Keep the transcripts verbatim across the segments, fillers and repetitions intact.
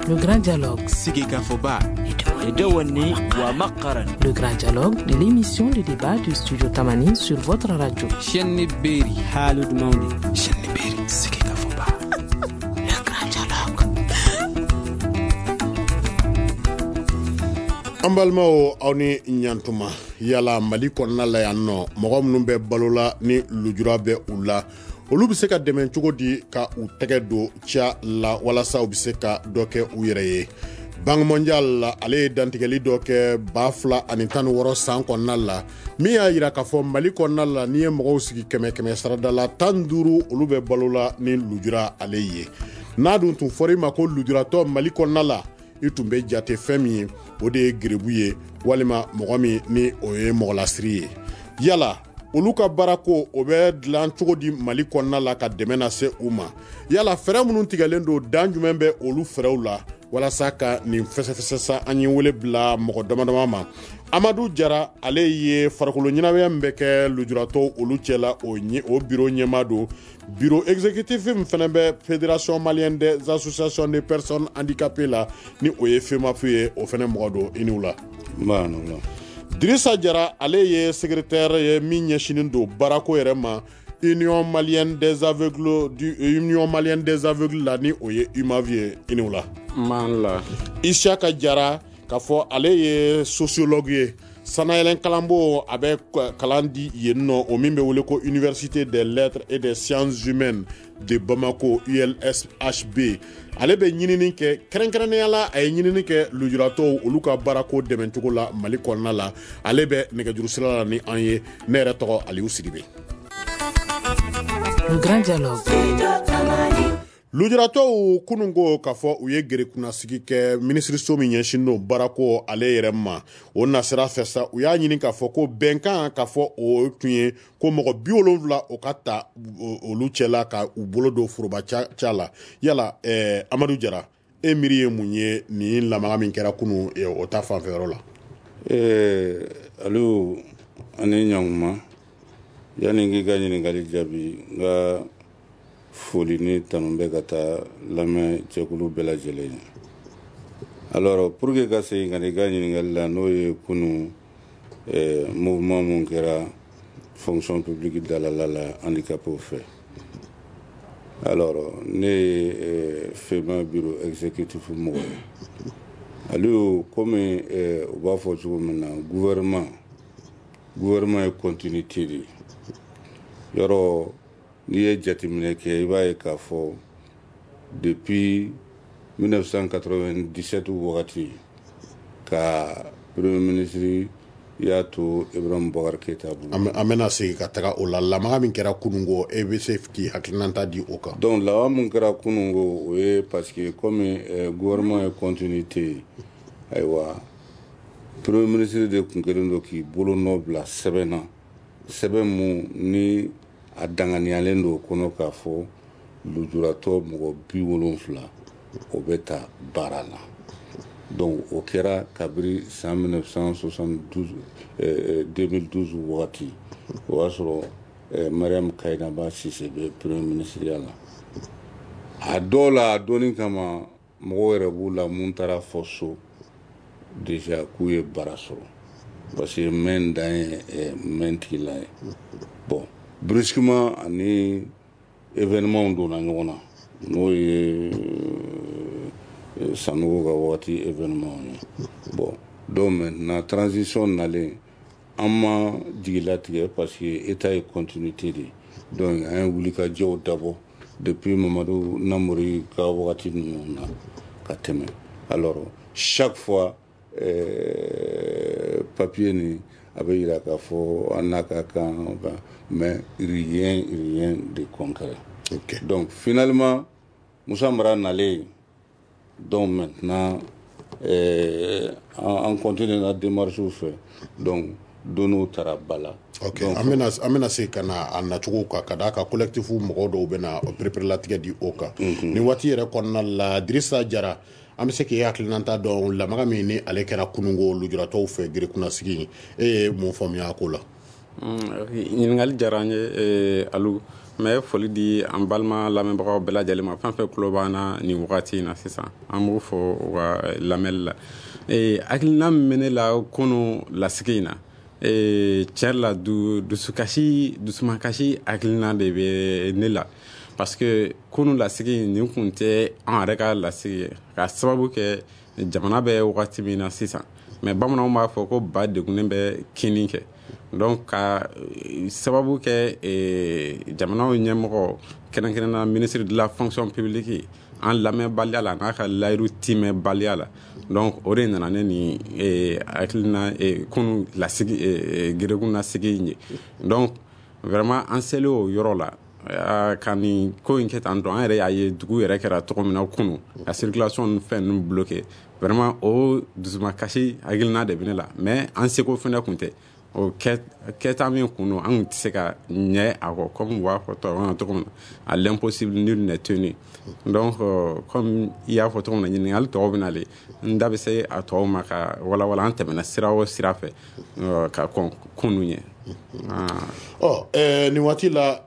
Le Grand Dialogue. Sigikafɔba. Le Grand Dialogue, l'émission de débat du Studio Tamani sur votre radio. Chaîne Berry. Haalude mawde. Chaîne Berry. Sigikafɔba. Le Grand Dialogue. An balimaw, aw ni ɲantuma. Yala Mali kɔnɔna la yan nɔ, mɔgɔ minnu bɛ balo la ni lujura bɛ u la, olu bɛ se ka dɛmɛ cogo di ka u tɛgɛ don ca la walasa u bɛ se ka dɔ kɛ u yɛrɛ ye? Banque mondiale la, ale ye dantigɛli dɔ kɛ ba fila ani tan ni wɔɔrɔ san kɔnɔna la, min y'a yira k'a fɔ Mali kɔnɔna la, n'i ye mɔgɔw sigi kɛmɛ kɛmɛ sarada la, tan duuru olu bɛ balo la ni lujura ale ye. N'a dun tun fɔra i ma ko lujuratɔ Mali kɔnɔna la, i tun bɛ jate fɛn min ye, o de ye gerebu ye, walima mɔgɔ min ni o ye mɔgɔlasiri ye. Yala olu ka baarako o bɛ dilan cogo di Mali kɔnɔna la ka dɛmɛ lase u ma? Yala fɛɛrɛ minnu tigɛlen don, dan jumɛn bɛ olu fɛɛrɛw la walasa ka nin fɛsɛfɛsɛ sa? An ye wele bila mɔgɔ dama dama ma. Amadu Jara, ale ye farikolo ɲɛnamaya min bɛ kɛ lujuratɔw olu cɛ la, o o bureau ɲɛmaa don. Bureau exécutif min fana bɛ Fédération malienne des associations de personnes handicapées la, ni o ye FEMAPH ye, o fana mɔgɔ don. I ni wula. Dirisa Jara, ale ye secrétaire ye min ɲɛsinnen don baarako yɛrɛ ma Union malienne des aveugles du Union malienne des aveugles la, ni o ye U M A V ye. I ni wula. La. Isiaka Jara, k'a fɔ ale ye sociologue ye, sanayɛlɛn kalanbo a bɛ kalan di yen nɔ, o min bɛ wele ko Université des lettres et des sciences humaines de Bamako, U L S H B. Ale bɛ ɲinini kɛ, kɛrɛnkɛrɛnnenya la a ye ɲinini kɛ lujuratɔw olu ka baarako dɛmɛcogo la Mali kɔnɔna la. Ale bɛ nɛgɛjuru sira la ni an ye. Ne yɛrɛ tɔgɔ Aliou Sidibe. Le Grand Dialogue. Lujuratɔw kunun ko k'a fɔ u ye gerekunnasigi kɛ minisiriso min ɲɛsin don baarako ale yɛrɛ ma. O nasira fɛ sa, u y'a ɲini k'a fɔ ko bɛnkan k'a fɔ o tun ye ko mɔgɔ bi wolonwula o ka ta olu cɛla ka u bolo don foroba ca la. Yala eh, Amadu Jara, e miiri ye mun ye nin lamaga min kɛra kunun o ta fanfɛyɔrɔ la? Eh, Aliou, ani ɲankuma. Yanni k'i ka ɲininkali jaabi, n ka foli ni tanu bɛ ka taa lamɛn jɛkulu bɛɛ lajɛlen ye. Alors, pour que ka segin ka na i ka ɲininkali la, n'o ye kunu eh, mouvement mun kɛra fonction publique dalala la handicapéw fɛ. Alors, ne ye eh, FEMA bureau exécutif mɔgɔ ye. Aliou, komi eh, u b'a fɔ cogo min na, gouvernement gouvernement ye continuité de ye. Yɔrɔ n'i ye jateminɛ kɛ, i b'a ye k'a fɔ depuis mille neuf cent quatre-vingt-dix-sept wagati ka premier ministre y'a to Ibrahim Boubacar Keïta bolo. An bɛna segin ka taga o la. Lamaga min kɛra kunun ko, e bɛ se k'i hakilinata di o kan? Donc lamaga mun kɛra kunun ko, o ye parce que comme euh, gouvernement ye continuité ye, ayiwa, premier ministre de tun kɛlen don k'i bolo nɔ bila sɛbɛn na, sɛbɛn mun ni a danganiyalen don o kɔnɔ k'a fɔ lujuratɔ mɔgɔ bi wolonfila o bɛ ta baara la. Donc o kɛra kabiri san mille neuf cent soixante-douze, euh, deux mille douze wagati. O y'a sɔrɔ euh, Mariam Kainaba Cissé bɛ premier ministre ya la. A dɔw la, a donni kama, mɔgɔw yɛrɛ b'u la mun taara fɔ so déjà k'u ye baara sɔrɔ, parce que mɛn dan ye mɛn tigila ye. Bon, brusquement ani événement donna ɲɔgɔn na, n'o ye Sanogo ka wagati événement ye. Bon, donc maintenant transition nalen, an ma jigilatigɛ parce que état ye continuité de ye. Donc an ye wulikajɔw dabɔ depuis Mamadu Namori ka wagati ninnu na ka tɛmɛ. Alors chaque fois euh, papier ni a bɛ yira k'a fɔ an n'a ka kan, mais rien, rien de concret. Okay. Donc finalement Moussa Mara nalen, donc maintenant euh, an continue na démarche fɛ, donc données taara ba la. Ok, an bɛna an bɛna se ka na a nacogo kan, ka d'a kan collectif mɔgɔw dɔw bɛna pereperelatigɛ di o kan nin waati yɛrɛ kɔnɔna la. Dirisa Jara, an bɛ se k'e hakilinata dɔn lamaga min ni ale kɛra kununko lujuratɔw fɛ gerekunnasigi, e ye mun faamuya a ko la? Ɲininkali diyara an ye Alu. N bɛ foli di an balima lamɛnbagaw bɛɛ lajɛlen ma, fɛn fɛn tulo b'an na nin wagati in na sisan, an b'u fɔ u ka lamɛnli la. Hakilina min bɛ ne la kunu lasigi in na, tiɲɛ la, dusukasi dusumakasi hakilina de bɛ ne la, parce que kunu lasigi nin kun tɛ an yɛrɛ ka lasigi ye, ka sababu kɛ jamana bɛ wagati min na sisan. Mais bamananw b'a fɔ ko ba degunnen bɛ kinni kɛ. Donc ka sababu kɛ jamanaw ɲɛmɔgɔ, kɛrɛnkɛrɛnnenya ministre de la Fonction publique, an lamɛnbaliya la n'a ka layiru timɛbaliya la, donc o de nana ne ni hakilina kunu lasigi geregun lasigi in ye. Donc vraiment an selen o yɔrɔ la ka nin ko in kɛ tan tɔ, an yɛrɛ y'a ye dugu yɛrɛ kɛra cogo min na kunu, ka circulation ni fɛn ninnu bloqué, vraiment o dusumakasi hakilina de bɛ ne la. Mais an seko fɛnɛ kun tɛ o kɛta min kun don, an kun tɛ se ka ɲɛ a kɔ, comme u b'a fɔ tubabukan na cogo min na, à l'impossible nul n'est tenu. Donc comme i y'a fɔ cogo min na, ɲininkali tɔw bɛ nalen, n da bɛ se a tɔw ma ka walawala an tɛmɛna sira o sira fɛ ka kɔn kunu ɲɛ. Ɔ nin waati la,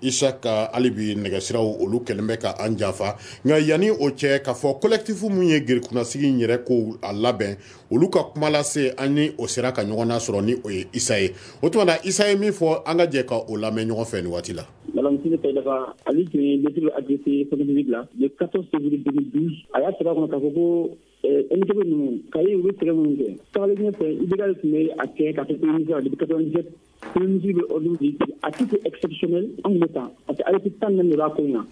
Isaka, hali bi nɛgɛsiraw olu kɛlen bɛ ka an janfa, nka yanni o cɛ, k'a fɔ collectif mun ye gerekunnasigi in yɛrɛ ko a labɛn, olu ka kuma lase an ni o sera ka ɲɔgɔn nasɔrɔ ni o ye Isa ye. O tuma na, Isa ye min fɔ, an ka jɛ ka o lamɛn ɲɔgɔn fɛ nin waati la. Madame Sine Taïdaba, ale tun ye lettre adressée fonction publique la le quatorze février deux mille douze. A y'a sɛbɛn a kɔnɔ k'a fɔ ko M T B ninnu ka ye, u bɛ sɛgɛn minnu kɛ tagalen ɲɛfɛ, I B K tun bɛ a kɛ ka kɛ premier ministre la depuis quatre-vingt-dix-sept. Premier ministre bɛ ordre di à titre exceptionnel, an tun bɛ ta parce que arrêté tan naani de b'a ko in na,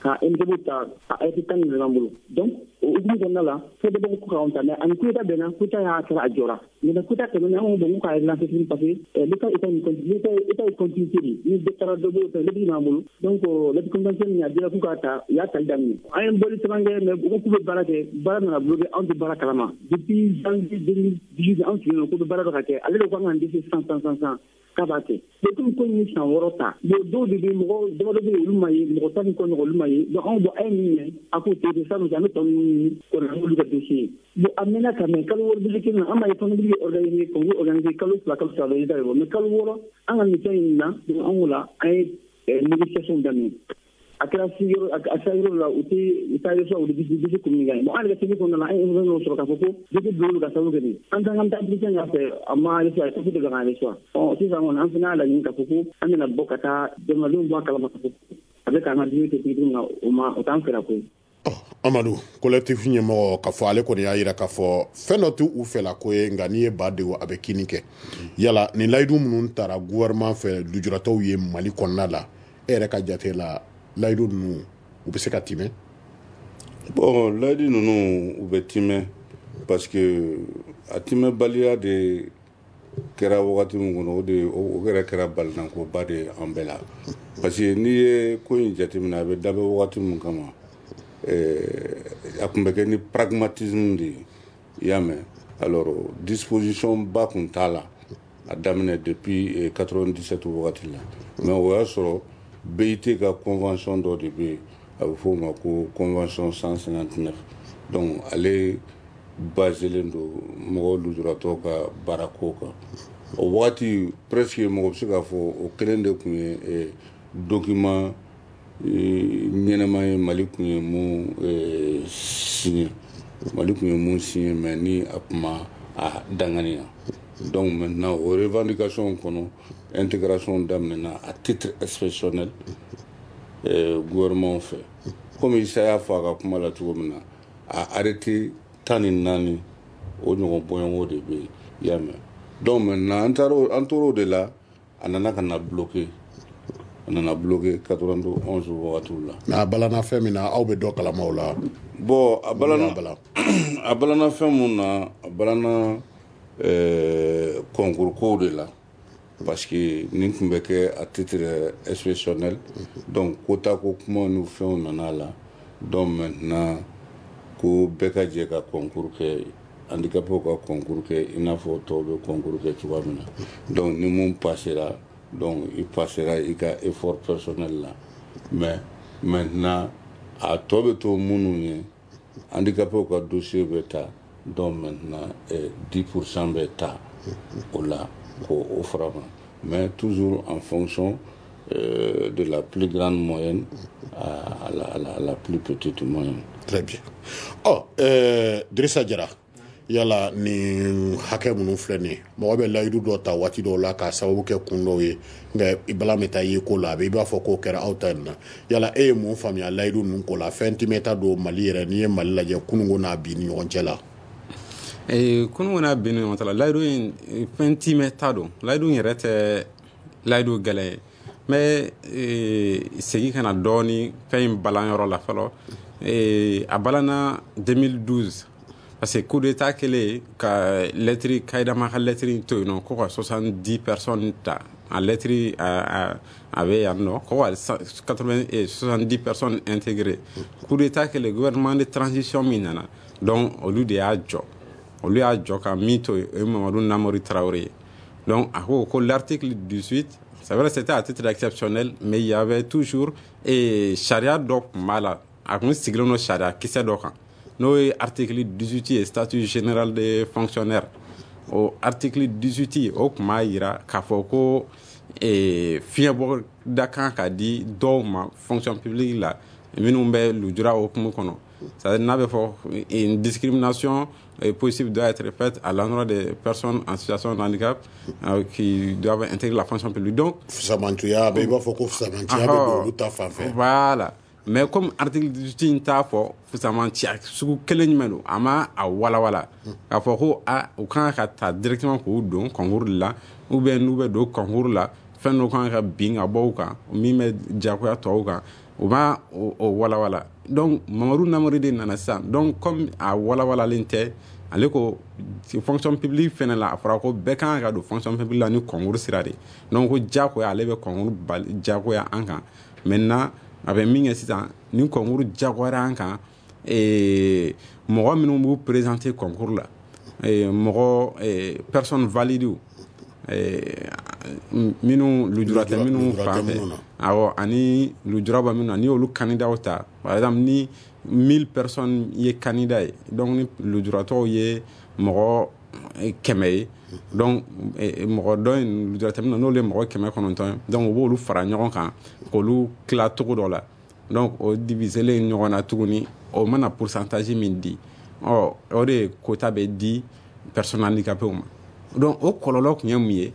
ka M T B ta, a arrêté tan de b'an bolo. Donc o hukumu kɔnɔna la, fɛn bɛɛ bɔ ko k'anw ta, mais ani coup d'état bɛnna, coup d'état y'a kɛra, a jɔra. Maintenant coup d'état tɛmɛnen, an ko bon, k'a relancer tuguni, parce que l'état état une l'état état ye continuité de ni dɔ taara, dɔ b'o fɛ, lettre b'an bolo. Donc lettre conventionnelle min a dira k'u k'a ta, u y'a tali daminɛ. An ye bɔli caman kɛ, mais u ko k'u bɛ baara kɛ, baara nana bloqué, anw tɛ baara kalama depuis janvier deux mille dix-huit. Anw sigilen don k'u bɛ baara dɔ ka kɛ, ale de ko an k'an dɛsɛ sisan sisan sisan sisan k'a b'a kɛ. Bon, komi ko in ye san wɔɔrɔ ta, bon, dɔw de bɛ, mɔgɔ damadɔ bɛ yen, olu ma ye, mɔgɔ tan ni kɔ ɲɔgɔn, olu ma ye. Donc anw bɔ a ye min ɲɛ, a k'o to yen sisan, an bɛ tɔ ninnu ɲini kɔnɔ n'olu ka dossier ye. Bon, a mɛnna ka mɛn, kalo wɔɔrɔ dossier kelen na, an b'a ye fonction publique organisé, concours organisé, kalo fila, kalo saba résultat bɛ bɔ, mais kalo wɔɔrɔ an ka nin fɛn in na. Donc an ko la, an ye négociation daminɛ, a kɛra yɔrɔ a sera yɔrɔ la, u tɛ u t'a reçoit, u bɛ dossier communiqué. Bon, an yɛrɛ ka service kɔnɔna la, an ye information dɔ sɔrɔ k'a fɔ ko dossier bil'olu ka sababu kɛ nin, an t'an ka taa entretien k'a fɛ, a ma reçoit, a ye dɔ k'an reçoit. Ɔ sisan kɔni, an fana y'a laɲini k'a fɔ ko an bɛna bɔ ka taa jamanadenw bɔ a kalama k'a fɔ a bɛ k'an ka dumuni kɛ cogo min na, o ma o t'an fɛla ko ye. Amadu, collectif ɲɛmɔgɔ, k'a fɔ ale kɔni y'a yira k'a fɔ fɛn dɔ t'u fɛla ko ye, nka n'i ye ba degun, a bɛ kini kɛ. Yala nin layidu minnu taara gouvernement fɛ lujuratɔw ye Mali kɔnɔna la, e yɛrɛ ka jate la, layidu ninnu u bɛ se ka timɛ? Bon, layidu ninnu u bɛ timɛ, parce que a timɛbaliya de kɛra wagati min kɔnɔ, o de o yɛrɛ kɛra balinankoba de ye an bɛɛ la, parce que n'i ye ko in jateminɛ, a bɛ dabɔ wagati min kama, a tun bɛ kɛ ni pragmatisme de ye, i y'a mɛn. Alors disposition ba tun t'a la a daminɛ depuis quatre-vingt-dix-sept wagati la, mais o y'a sɔrɔ B I T ka convention dɔ de bɛ yen, a bɛ f'o ma ko convention cent cinquante-neuf. Donc ale baselen don mɔgɔw lujuratɔw ka baarako kan. O wagati presque mɔgɔ bɛ se k'a fɔ o kelen de tun ye document ɲɛnɛma ye Mali tun ye mun signé, Mali tun ye mun signé, mais ni a tun ma a danganiya. Donc maintenant o revendication kɔnɔ, intégration daminɛna à titre exceptionnel gouvernement fɛ. Komi Isa y'a fɔ a ka kuma la cogo min na, a arrêté tan ni naani o ɲɔgɔn bɔɲɔgɔn de bɛ yen, i y'a mɛn. Donc maintenant an taara an tor'o de la, a nana ka na bloqué, a nana bloqué quatre-vingt-onze wagatiw la. Mais a balana fɛn min na, aw bɛ dɔ kalama o la? Bon, a balana a balana fɛn mun na, a balana ɛɛ concours kow de la, parce que nin tun bɛ kɛ à titre exceptionnel. Donc quota ko kuma ni fɛnw nana a la. Donc maintenant ko bɛɛ ka jɛ ka concours kɛ, handicapés ka concours kɛ i n'a fɔ tɔw bɛ concours kɛ cogoya min na. Donc ni mun passera, donc i passera i ka effort personnel la, mais maintenant a tɔ bɛ to minnu ye, handicapés ka dossier bɛ ta. Donc maintenant eh, dix pour cent bɛ ta o la k'o o fara kan. mais toujours en fonction euh, de la plus grande moyenne à, à, la, à, la, à la plus petite moyenne. Très bien. Oh, euh, Drissa Diarra, yala ni hakɛ minnu filɛ nin ye, mɔgɔ bɛ layidu dɔ ta waati dɔw la k'a sababu kɛ kun dɔw ye, nka i bala bɛ taa ye ko la, a bɛ i b'a fɔ k'o kɛra aw ta in na. Yala e ye mun faamuya layidu ninnu ko la? Fɛn timɛta don Mali yɛrɛ, n'i ye Mali lajɛ kununko n'a bi ni ɲɔgɔn cɛ la. Ee, kununko n'a bi ni ɲɔgɔn cɛ la, layidu in fɛn timɛta don. Layidu in yɛrɛ tɛ layidu gɛlɛn ye. N bɛ segin ka na dɔɔni fɛn in balanyɔrɔ la fɔlɔ. A balanna deux mille douze parce que coup d'état kɛlen ka lettre Kayidama ka lettre in to yen nɔ ko ka soixante-dix personnes ta, a lettre a a bɛ yan nɔ ko ka soixante-dix personnes intégrées. Coup d'état kɛlen, gouvernement de transition min nana, donc olu de y'a jɔ, olu y'a jɔ ka min to yen, o ye Mamadu Namori Traoré ye. Donc a ko ko l'article dix-huit, c'est vrai, c'était à titre exceptionnel, mais il y avait toujours et sariya dɔ tun b'a la, a kun sigilen don sariya kisɛ dɔ kan, n'o ye article dix-huit ye, statut général des fonctionnaires. O article dix-huit o tun b'a yira k'a fɔ ko fiɲɛbɔda kan ka di dɔw ma fonction publique la minnu bɛ lujura hukumu kɔnɔ. C'est-à-dire n'a bɛ fɔ une discrimination possible doit être faite à l'endroit des personnes en situation de handicap euh, qui doivent intégrer la fonction publique. Donc fisamantuya bɛ i b'a fɔ ko fisamantuya bɛ don olu ta fan fɛ. Voilà. Mais comme article dix-huit in t'a fɔ fisamantiya sugu kelen jumɛn don, a ma a walawala k'a fɔ ko a u kan ka ta directement k'u don concours la, ou bien n'u bɛ don concours la fɛn dɔ kan ka bin ka bɔ u kan min bɛ diyagoya tɔw kan, u b'a o walawala. Donc Mamadu Namori de nana sisan, donc comme a walawalalen tɛ, ale ko fonction publique fɛnɛ la a fɔra ko bɛɛ kan ka don fonction publique la ni concours sira de, donc ko diyagoya ale bɛ concours bali diyagoya an kan. Maintenant a bɛ min kɛ sisan, ni concours diyagoyara an kan, mɔgɔ minnu b'u présenter concours la, mɔgɔ personne valide minnu lujura tɛ minnu fan fɛ, awɔ, ani lujura bɛ minnu na, n'i y'olu candidat ta, par exemple ni mille personnes ye candidat ye, donc ni lujuratɔw ye mɔgɔ kɛmɛ ye, donc mɔgɔ dɔ in lujura tɛ min na, n'olu ye mɔgɔ kɛmɛ kɔnɔntɔn ye, donc u b'olu fara ɲɔgɔn kan k'olu tila cogo dɔ la, donc o diviselen ɲɔgɔn na tuguni, o mana pourcentage min di, ɔ o de quota bɛ di personnes handicapées ma. Donc o kɔlɔlɔ tun ye mun ye?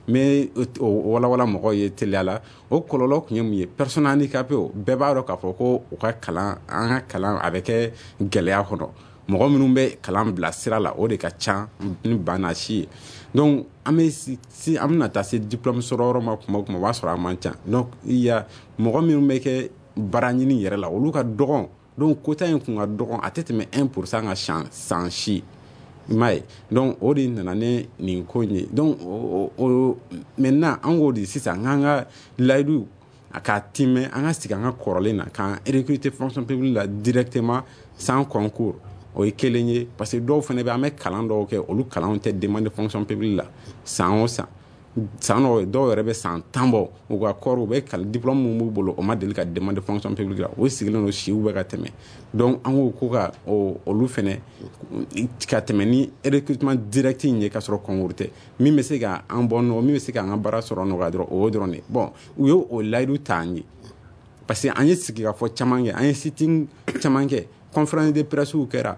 N bɛ o walawala mɔgɔw ye teliya la. O kɔlɔlɔ tun ye mun ye? Personnes handicapées bɛɛ b'a dɔn k'a fɔ ko u ka kalan, an ka kalan a bɛ kɛ gɛlɛya kɔnɔ, mɔgɔ minnu bɛ kalan bila sira la o de ka ca ni ba n'a si ye. Donc an bɛ si an bɛna taa se diplôme sɔrɔ yɔrɔ ma kuma o kuma, o b'a sɔrɔ a man ca. Donc il y a mɔgɔ minnu bɛ kɛ baara ɲini yɛrɛ la, olu ka dɔgɔn, donc quota in kun ka dɔgɔn, a tɛ tɛmɛ un pour cent ka san san si. I m'a ye? Donc o de nana ni nin ko in ye. Donc o o maintenant an k'o de sisan k'an ka layidu a k'a timɛ, an ka sigi an ka kɔrɔlen na k'an recruter fonction publique la directement sans concours. O ye kelen ye, parce que dɔw fana bɛ, an bɛ kalan dɔw kɛ, olu kalanw tɛ demande fonction publique la san o san. San dɔw dɔw yɛrɛ bɛ san tan bɔ u ka kɔɔri, u bɛ kalan diplôme min b'u bolo, o ma deli ka demande fonction publique la, o sigilen don siw bɛ ka tɛmɛ. Donc an ko ko ka olu fana ka tɛmɛ ni recrutement direct in ye k'a sɔrɔ concours tɛ, min bɛ se ka an bɔ nɔgɔ, min bɛ se k'an ka baara sɔrɔ nɔgɔya dɔrɔn, o y'o dɔrɔn de. Bon, u y'o o layidu ta an ye, parce que an ye sigikafɔ caman kɛ, an ye sitting caman kɛ, conférence de presse kɛra,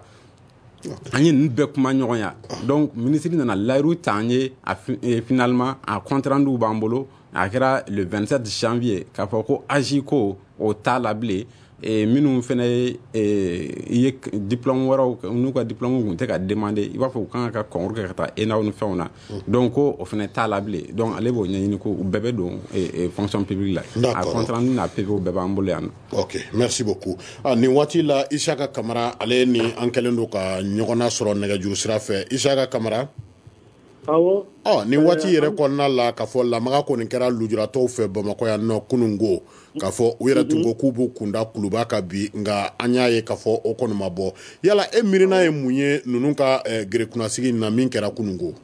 an ye ninnu bɛɛ kuma ɲɔgɔnya. Donc ministre nana layiru ta an ye, a finalement a compte rendu b'an bolo, a kɛra le vingt-sept janvier k'a fɔ ko A J ko o t'a la bilen, minnu fana ye ye diplôme wɛrɛw n'u ka diplôme tun tɛ ka demander, i b'a fɔ u kan ka concours kɛ ka taa ENA ni fɛnw na, donc ko o fana t'a la bilen. Donc ale b'o ɲɛɲini ko u bɛɛ bɛ don fonction publique la, a compte rendu n'a P V bɛɛ b'an bolo yan nɔ. Ok, merci beaucoup. Ah, nin waati la Isaka Kamara, ale ni an kɛlen don ka ɲɔgɔn sɔrɔ nɛgɛjuru sira fɛ. Isaka Kamara. Awɔ. Ɔ, nin waati yɛrɛ kɔnɔna la k'a fɔ lamaga kɔni kɛra lujuratɔw fɛ Bamakɔ yan nɔ kunungo, k'a fɔ u yɛrɛ tun ko k'u b'u kunda kuluba kan bi, nka an y'a ye k'a fɔ o kɔni ma bɔ. Yala e miirina ye mun ye ninnu ka gerekunnasigi in na min kɛra kunungo?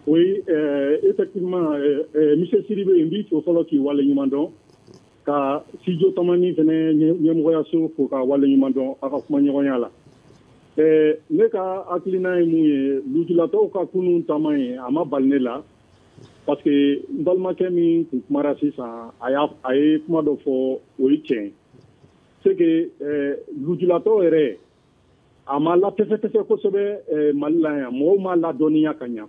Oui, euh, effectivement, euh, euh, monsieur Sidibé, n b'i fo fɔlɔ k'i waleɲuman dɔn, ka Studio Tamani fɛnɛ ɲɛmɔgɔyaso fo ka waleɲuman dɔn a ka kumaɲɔgɔnya la. Eh, ne ka hakilina ye mun ye, lujuratɔw ka kunun taama ye, a ma bali ne la, Parce que n balimakɛ min tun kumara sisan, a y'a a ye kuma dɔ fɔ, o ye tiɲɛ. C'est que euh, lujuratɔ yɛrɛ, a ma latɛfɛtɛfɛ kosɛbɛ euh, Mali la yan, mɔgɔw m'a ladɔnniya ka ɲa.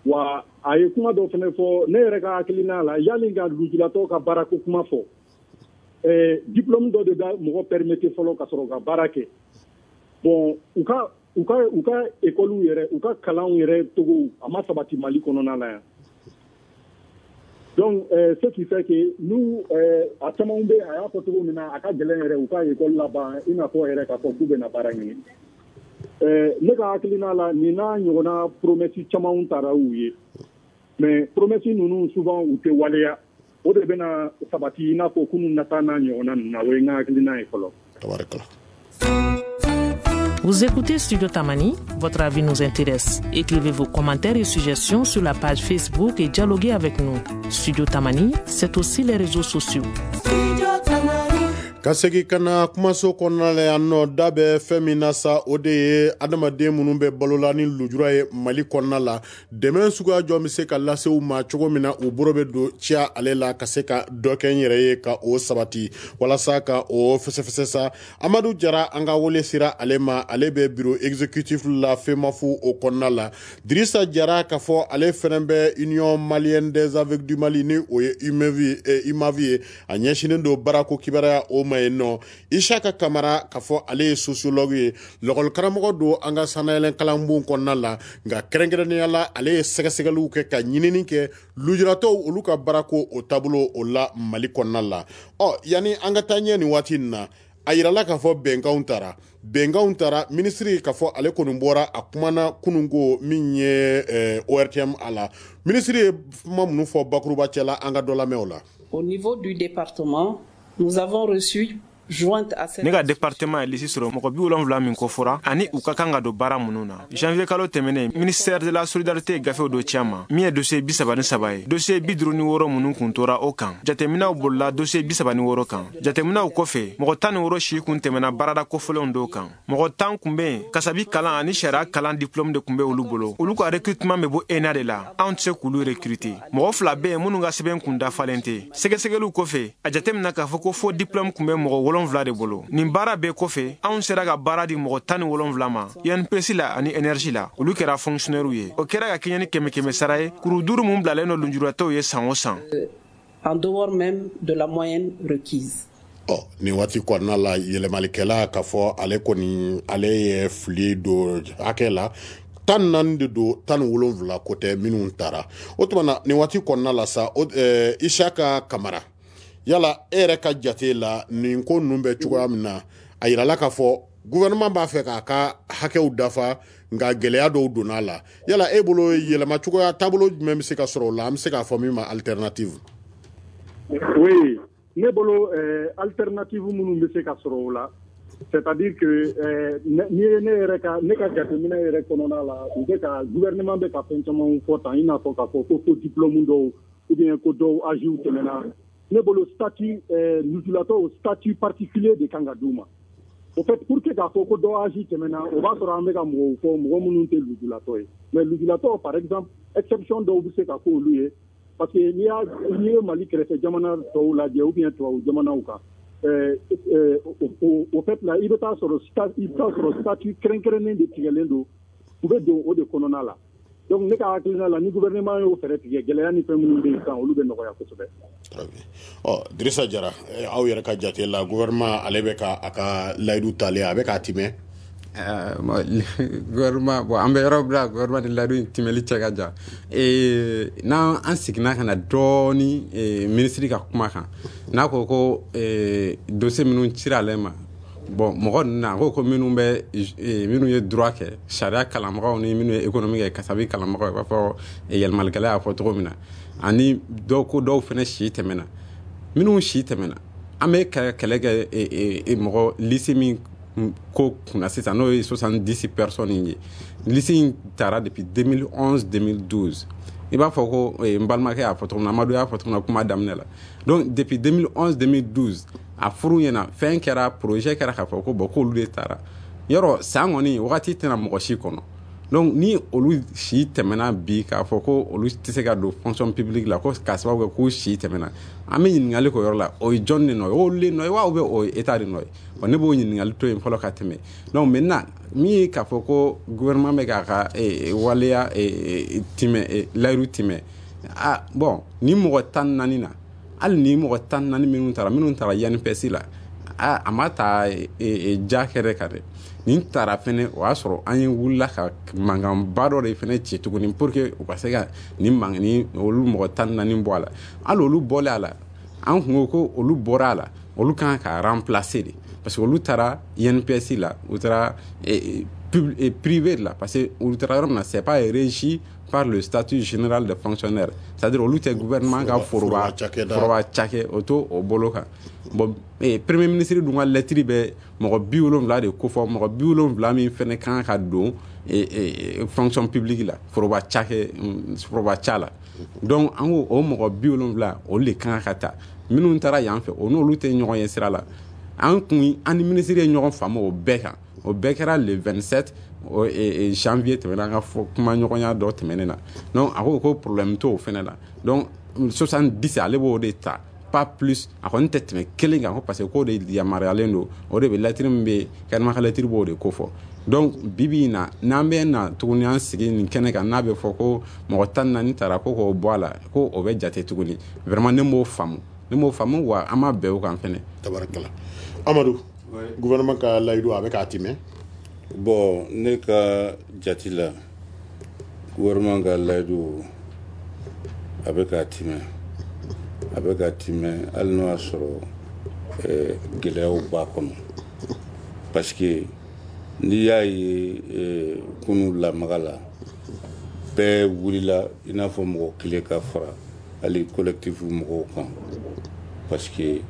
Wa a ye kuma dɔ fana fɔ, ne yɛrɛ ka hakilina la, yanni ka lujuratɔ ka baarako kuma fɔ, eh, diplôme dɔ de bɛ mɔgɔ permettre fɔlɔ ka sɔrɔ ka baara kɛ. Bon, u ka u ka u ka école yɛrɛ, u ka kalanw yɛrɛ togo, a ma sabati Mali kɔnɔna la yan. Donc euh, ce qui fait que nous, euh, a caman bɛ, a y'a fɔ cogo min na, a ka gɛlɛn yɛrɛ u ka école laban, i n'a fɔ yɛrɛ k'a fɔ k'u bɛna baara ɲini. euh, ne ka hakilina la, nin n'a ɲɔgɔnna promesse camanw taara u ye, mais promesse ninnu souvent u tɛ waleya. O de bɛna sabati i n'a fɔ kunun nata n'a ɲɔgɔnna ninnu na. O ye n ka hakilina ye fɔlɔ. Tabarikala. Vous écoutez Studio Tamani, votre avis nous intéresse. Écrivez vos commentaires et suggestions sur la page Facebook et dialoguez avec nous. Studio Tamani, c'est aussi les réseaux sociaux. Ka segin ka na kumaso kɔnɔna la yan nɔ, da bɛ fɛn min na sa, o de ye adamaden minnu bɛ balola ni lujura ye Mali kɔnɔna la, dɛmɛ suguya jɔn bɛ se ka lase u ma cogo min na u bolo bɛ don ciya ale la ka se ka dɔ kɛ n yɛrɛ ye ka o sabati, walasa ka o fɛsɛfɛsɛ sa. Amadu Jara, an ka wele sera ale ma, ale bɛ bureau exécutif la FEMAF o kɔnɔna la. Dirisa Jara, ka fɔ ale fɛnɛ bɛ Union malienne des aveugles du Mali, ni o ye U M A V ye, a ɲɛsinnen don baarako kibaruya o ma yen nɔ. Isaka Kamara, ka fɔ ale ye sociologue ye, lɔkɔlikaramɔgɔ don an ka sannayɛlɛn kalanbon kɔnɔna la, nka kɛrɛnkɛrɛnnenya la ale ye sɛgɛsɛgɛliw kɛ ka ɲinini kɛ lujuratɔw olu ka baarako o taabolo o la Mali kɔnɔna la. Ɔ, yanni an ka taa ɲɛ nin waati in na, a yirala k'a fɔ bɛnkanw tara bɛnkanw tara minisiri k'a fɔ ale kɔni bɔra a kumana kununko min ye eh, O R T M a la. Minisiri ye kuma minnu fɔ bakuruba cɛ la, an ka dɔ lamɛn o la. Au niveau du département, nous avons reçu jointe à cette Ne ka département ye liste sɔrɔ mɔgɔ bi wolonfila min kofɔra ani u ka kan ka don baara minnu na. Janvier kalo tɛmɛnen, ministère de la Solidarité ye gafew dɔ ci an ma min ye dossier bi saba ni saba ye. Dossier bi duru ni wɔɔrɔ minnu kun tora o kan, jateminɛw bolila dossier bi saba ni wɔɔrɔ kan. Jateminɛw kɔfɛ, mɔgɔ tan ni wɔɔrɔ si kun tɛmɛna baarada kofɔlenw dɔw kan. Mɔgɔ tan kun be yen, kasabi kalan ani sariya kalan diplôme de kun be olu bolo. Olu ka recrutement bɛ bɔ E N A de la, anw tɛ se k'olu recruter. Mɔgɔ fila be yen minnu ka sɛbɛn kun dafalen tɛ. Sɛgɛsɛgɛliw kɔfɛ, a jateminɛ k'a fɔ ko fo diplôme kun bɛ mɔgɔ wolonfila de bolo. Nin baara bɛɛ kɔfɛ, anw sera ka baara di mɔgɔ tan ni wolonfila ma I N P S la ani énergie la. Olu kɛra fonctionnaire ye. O kɛra ka kɛɲɛ ni kɛmɛ kɛmɛ sara ye kuru duuru mun bilalen don lujuratɔw ye san o san. En dehors même de la moyenne requise. Ɔ, nin waati kɔnɔna la, yɛlɛmalikɛla k'a fɔ ale kɔni ale ye fili don hakɛ la, tan ni naani de don, tan ni wolonfila ko tɛ minnu taara. O tuma na, nin waati kɔnɔna la sa, o ɛɛ Isaka Kamara, yala e yɛrɛ ka jate la, nin ko ninnu bɛ cogoya min na, a yirala k'a fɔ gouvernement b'a fɛ k'a ka hakɛw dafa, nka gɛlɛya dɔw donna a la. Yala e bolo, yɛlɛma cogoya taabolo jumɛn bɛ se ka sɔrɔ o la, an bɛ se k'a fɔ min ma alternative? Oui, ne bolo, euh, alternative minnu bɛ se ka sɔrɔ o la, c'est-à-dire que euh, n'i ye ne yɛrɛ ka ne ka jateminɛ yɛrɛ kɔnɔna la, u bɛ ka gouvernement bɛ ka fɛn caman fɔ tan, i n'a fɔ k'a fɔ ko fo diplôme dɔw ou bien ko dɔw âge tɛmɛna. Ne bolo, statut euh, lujuratɔw, statut particulier de kan ka d'u ma. Au fait, pour que k'a fɔ ko dɔ âge tɛmɛna, o b'a sɔrɔ an bɛ ka mɔgɔw fɔ, mɔgɔ minnu tɛ lujuratɔ ye. Mais lujuratɔ, par exemple, exception dɔw bɛ se ka k'olu ye, parce que n'i y'a n'i ye Mali kɛrɛfɛ jamana tɔw lajɛ ou bien tubabu jamanaw kan, euh, euh, au, au fait là, i bɛ taa sɔrɔ i bɛ taa sɔrɔ statut kɛrɛnkɛrɛnnen de tigɛlen don, u bɛ don o de kɔnɔna la. Donc ne ka hakilina la, ni gouvernement y'o fɛɛrɛ tigɛ, gɛlɛya ni fɛn minnu bɛ yen sisan, olu bɛ nɔgɔya kosɛbɛ. Ɔ, Dirisa Jara, aw yɛrɛ ka jate la, gouvernement ale bɛ ka a ka layidu talen, a bɛ k'a timɛ? Gouvernement, bon, an bɛ yɔrɔ bila gouvernement ni layidu in timɛli cɛ ka jan. N'an an seginna ka na dɔɔni minisiri ka kuma kan, n'a ko ko dossier minnu cira ale ma, bon, mɔgɔ ninnu na, a ko ko minnu bɛ minnu ye droit kɛ, sariya kalanbagaw, ni minnu ye économie kɛ, kasabi kalanbagaw, i b'a fɔ yɛlɛmalikɛla y'a fɔ cogo min na, ani dɔw ko dɔw fana si tɛmɛna. Minnu si tɛmɛna, an bɛ ka kɛlɛ kɛ mɔgɔ liste min ko kunna sisan, n'o ye soixante-dix personnes ye, liste in taara depuis deux mille onze, deux mille douze. I b'a fɔ ko n balimakɛ y'a fɔ cogo min na, Amadu y'a fɔ cogo min na kuma daminɛ la. Donc depuis deux mille onze, deux mille douze, a furu ɲɛna, fɛn kɛra, projet kɛra k'a fɔ ko bon, k'olu de taara yɔrɔ san kɔni wagati tɛna mɔgɔ si kɔnɔ. Donc ni olu si tɛmɛna bi k'a fɔ ko olu tɛ se ka don fonction publique la ko k'a sababu kɛ k'u si tɛmɛna, an bɛ ɲininkali k'o yɔrɔ la, o ye jɔn de nɔ ye? O olu de nɔ ye wa ou bien o ye état de nɔ ye? Bon, ne b'o ɲininkali to yen fɔlɔ ka tɛmɛ. Donc maintenant min ye k'a fɔ ko gouvernement bɛ k'a ka waleya timɛ, layiru timɛ, ah bon, ni mɔgɔ tan ni naani na, hali ni mɔgɔ tan ni naani minnu taara minnu taara I N P S la, ah a ma ta ja kɛrɛ kan dɛ. Nin taara fɛnɛ, o y'a sɔrɔ an ye wulila ka mankanba dɔ de fɛnɛ ci tuguni pour que u ka se ka nin man ni olu mɔgɔ tan ni naani bɔ a la. Hali olu bɔlen a la, an kun ko ko olu bɔra a la, olu kan ka remplacer de, parce que olu taara I N P S la, u taara privé de la, parce que olu taara yɔrɔ min na, c'est pas régi par le statut général de fonctionnaire, c'est-à-dire olu tɛ gouvernement ka foroba foroba cakɛ o to o bolo kan. Bon, premier ministre dun ka lettre bɛ mɔgɔ bi wolonwula de kofɔ, mɔgɔ bi wolonwula min fɛnɛ kan ka don fonction publique la, foroba cakɛ foroba ca la. Donc an ko o mɔgɔ bi wolonwula olu de kan ka ta. Minnu taara yan fɛ, o n'olu tɛ ɲɔgɔn ye sira la. An kun an ni ministre ye ɲɔgɔn faamu o bɛɛ kan, o bɛɛ kɛra le vingt-sept janvier tɛmɛna, an ka kumaɲɔgɔnya dɔ tɛmɛnen na. Donc a ko ko problème t'o fɛnɛ la. Donc soixante-dix ale b'o de ta, pas plus, a kɔni tɛ tɛmɛ kelen kan, parce que k'o de yamaruyalen don, o de bɛ lettre min bɛ kɛnɛma ka lettre b'o de kofɔ. Donc bi bi in na, n'an bɛ na tuguni an sigi nin kɛnɛ kan, n'a bɛ fɔ ko mɔgɔ tan ni naani taara ko k'o bɔ a la, ko o bɛ jate tuguni, vraiment ne m'o faamu, ne m'o faamu wa an ma bɛn o kan fɛnɛ. Tabarakala. Amadu, gouvernement ka layidu a bɛ k'a timɛ? Bon, ne ka jate la, gouvernement ka layidu a bɛ k'a timɛ, a bɛ k'a timɛ hali n'o y'a sɔrɔ gɛlɛyaw b'a kɔnɔ, parce que n'i y'a ye kunun lamaga la, bɛɛ wulila i n'a fɔ mɔgɔ kelen ka fara hali collectif mɔgɔw kan, parce que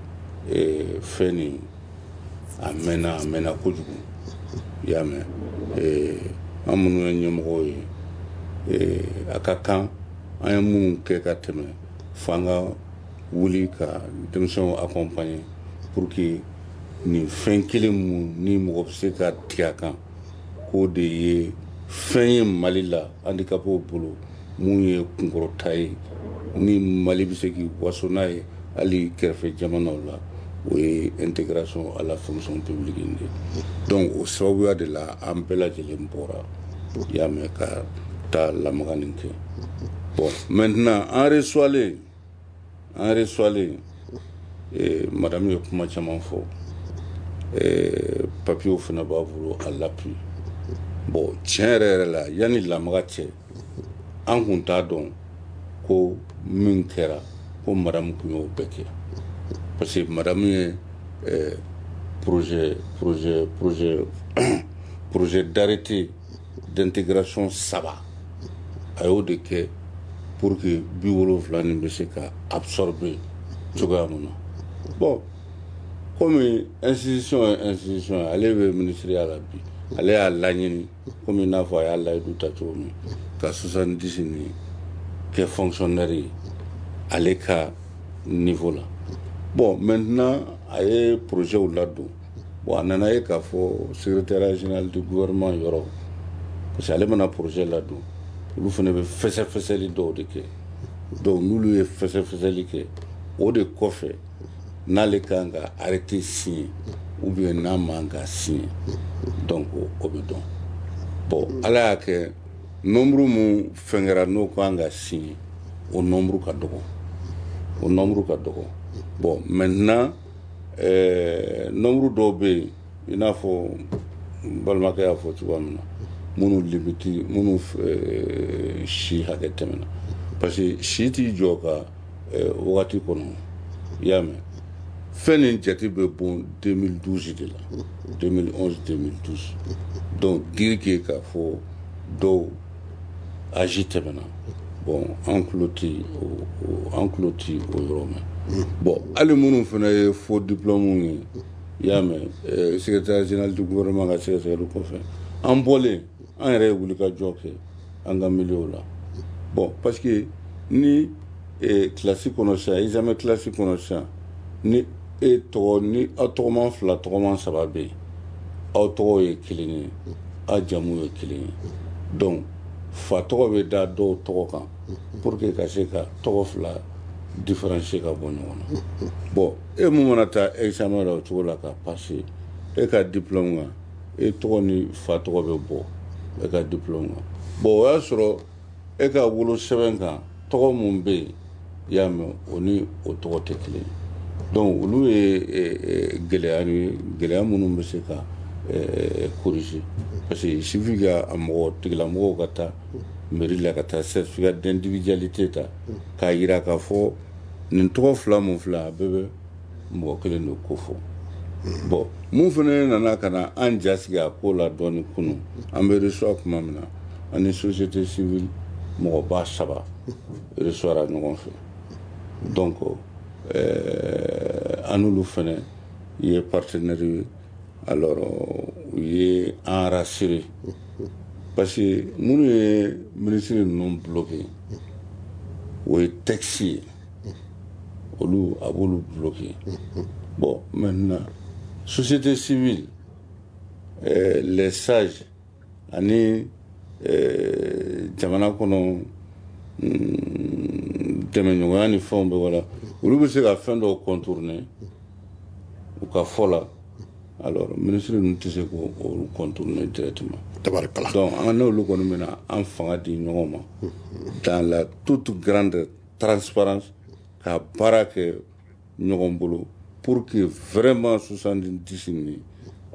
fɛn nin a mɛnna, a mɛnna kojugu. I y'a mɛn, an minnu ye ɲɛmɔgɔw ye, a ka kan an ye minnu kɛ ka tɛmɛ, f'an ka wuli ka denmisɛnw accompagner pour que nin fɛn kelen mun ni mɔgɔ bɛ se ka tigɛ a kan, k'o de ye fɛn ye Mali la handicapéw bolo mun ye kunkɔrɔta ye, ni Mali bɛ se k'i waso n'a ye hali kɛrɛfɛ jamanaw la, o ye intégration à la fonction publique in de. Donc o sababuya de la an bɛɛ lajɛlen bɔra, i y'a mɛn, ka taa lamaga nin kɛ. Bon, maintenant an reçoilen an reçoilen eh, madame ye kuma caman fɔ, eh, papiyew fana b'a bolo à l'appui. Bon, tiɲɛ yɛrɛ yɛrɛ la, yanni lamaga cɛ, an kun t'a dɔn ko min kɛra ko madame kun y'o bɛɛ kɛ, parce que madame ye eh, projet projet projet projet d'arrêté d'intégration saba a y'o de kɛ pour que bi wolonwula nin bɛ se ka absorber cogoya mun na. Bon, komi institution ye institution ye, ale bɛ ministeriya la bi, ale y'a laɲini komi i n'a fɔ a y'a layidu ta cogo min ka soixante-dix nin kɛ fonctionnaire ye ale ka niveau la. Bon, maintenant a ye projet ladon. Bon, a nana ye k'a fɔ secrétaire général du gouvernement yɔrɔ, parce que ale mana projet ladon, olu fana bɛ fɛsɛfɛsɛli dɔw de kɛ. Donc n'olu ye fɛsɛfɛsɛli kɛ, o de kɔfɛ n'ale kan ka arrêté signer ou bien n'a man ka signer, donc o bɛ dɔn. Bon, ala y'a kɛ nombre mun fɛn kɛra n'o kan ka signer, o nombre ka dɔgɔ, o nombre ka dɔgɔ. Bon, maintenant euh, nombre dɔw bɛ yen, i n'a fɔ n balimakɛ y'a fɔ cogoya min na, minnu limite, minnu euh, si hakɛ tɛmɛna, parce que si t'i jɔ ka euh, wagati kɔnɔ, i y'a mɛn. Fɛn nin jate bɛ bɔn deux mille douze de la, deux mille onze deux mille douze. Donc dire que k'a fɔ dɔw âge tɛmɛna, bon, an tulo ti o, an tulo ti o yɔrɔ mɛn. Bon, hali minnu fana ye faux diplôme ye, i y'a mɛn, secrétaire général du gouvernement ka sɛgɛsɛgɛli kɔfɛ, an bɔlen an yɛrɛ ye wulikajɔ kɛ an ka milieu la. Bon, parce que ni kilasi kɔnɔ sisan, examen kilasi kɔnɔ sisan, ni e tɔgɔ ni aw tɔgɔman fila tɔgɔman saba bɛ yen, aw tɔgɔ ye kelen ye, aw jamu ye kelen ye, Donc fa tɔgɔ bɛ da dɔw tɔgɔ kan pour que ka se ka tɔgɔ fila différencier ka bɔ ɲɔgɔn na. Bon, e mun mana taa examen la o cogo la ka passer, e ka diplôme kan, e tɔgɔ ni fa tɔgɔ bɛ bɔ e ka diplôme kan. Bon, o y'a sɔrɔ e ka wolo sɛbɛn kan tɔgɔ mun bɛ yen, i y'a mɛn, o ni o tɔgɔ tɛ kelen ye. Donc olu ye gɛlɛya ye, gɛlɛya minnu bɛ se ka corriger, parce que il suffit que a mɔgɔ tigilamɔgɔw ka taa mairie la ka taa certificat d'individualité ta k'a yira k'a fɔ nin tɔgɔ fila mun filɛ, a bɛɛ bɛ mɔgɔ kelen de ko fɔ. Bon, mun fana nana ka na an jasigi a ko la dɔɔni kunun, an bɛ reçoit tuma min na, an ni société civile mɔgɔba saba reçoira ɲɔgɔn fɛ. Donc euh, an n'olu fana ye partenaire ye. Alors u ye an rassuré, parce que minnu ye ministre ninnu bloqué, o ye texte ye, olu a b'olu bloqué. Bon, maintenant société civile, euh, les sages ani euh, jamana kɔnɔ dɛmɛɲɔgɔnya ni fɛnw bɛ wala, olu bɛ se ka fɛn dɔw contourner u ka fɔ la. Alors ministre ninnu tɛ se k'olu contourner directement. Tabarikala. Donc an n'olu kɔni bɛna an fanga di ɲɔgɔn ma dans la toute grande transparence ka baara kɛ ɲɔgɔn bolo pour que vraiment soixante-dix nin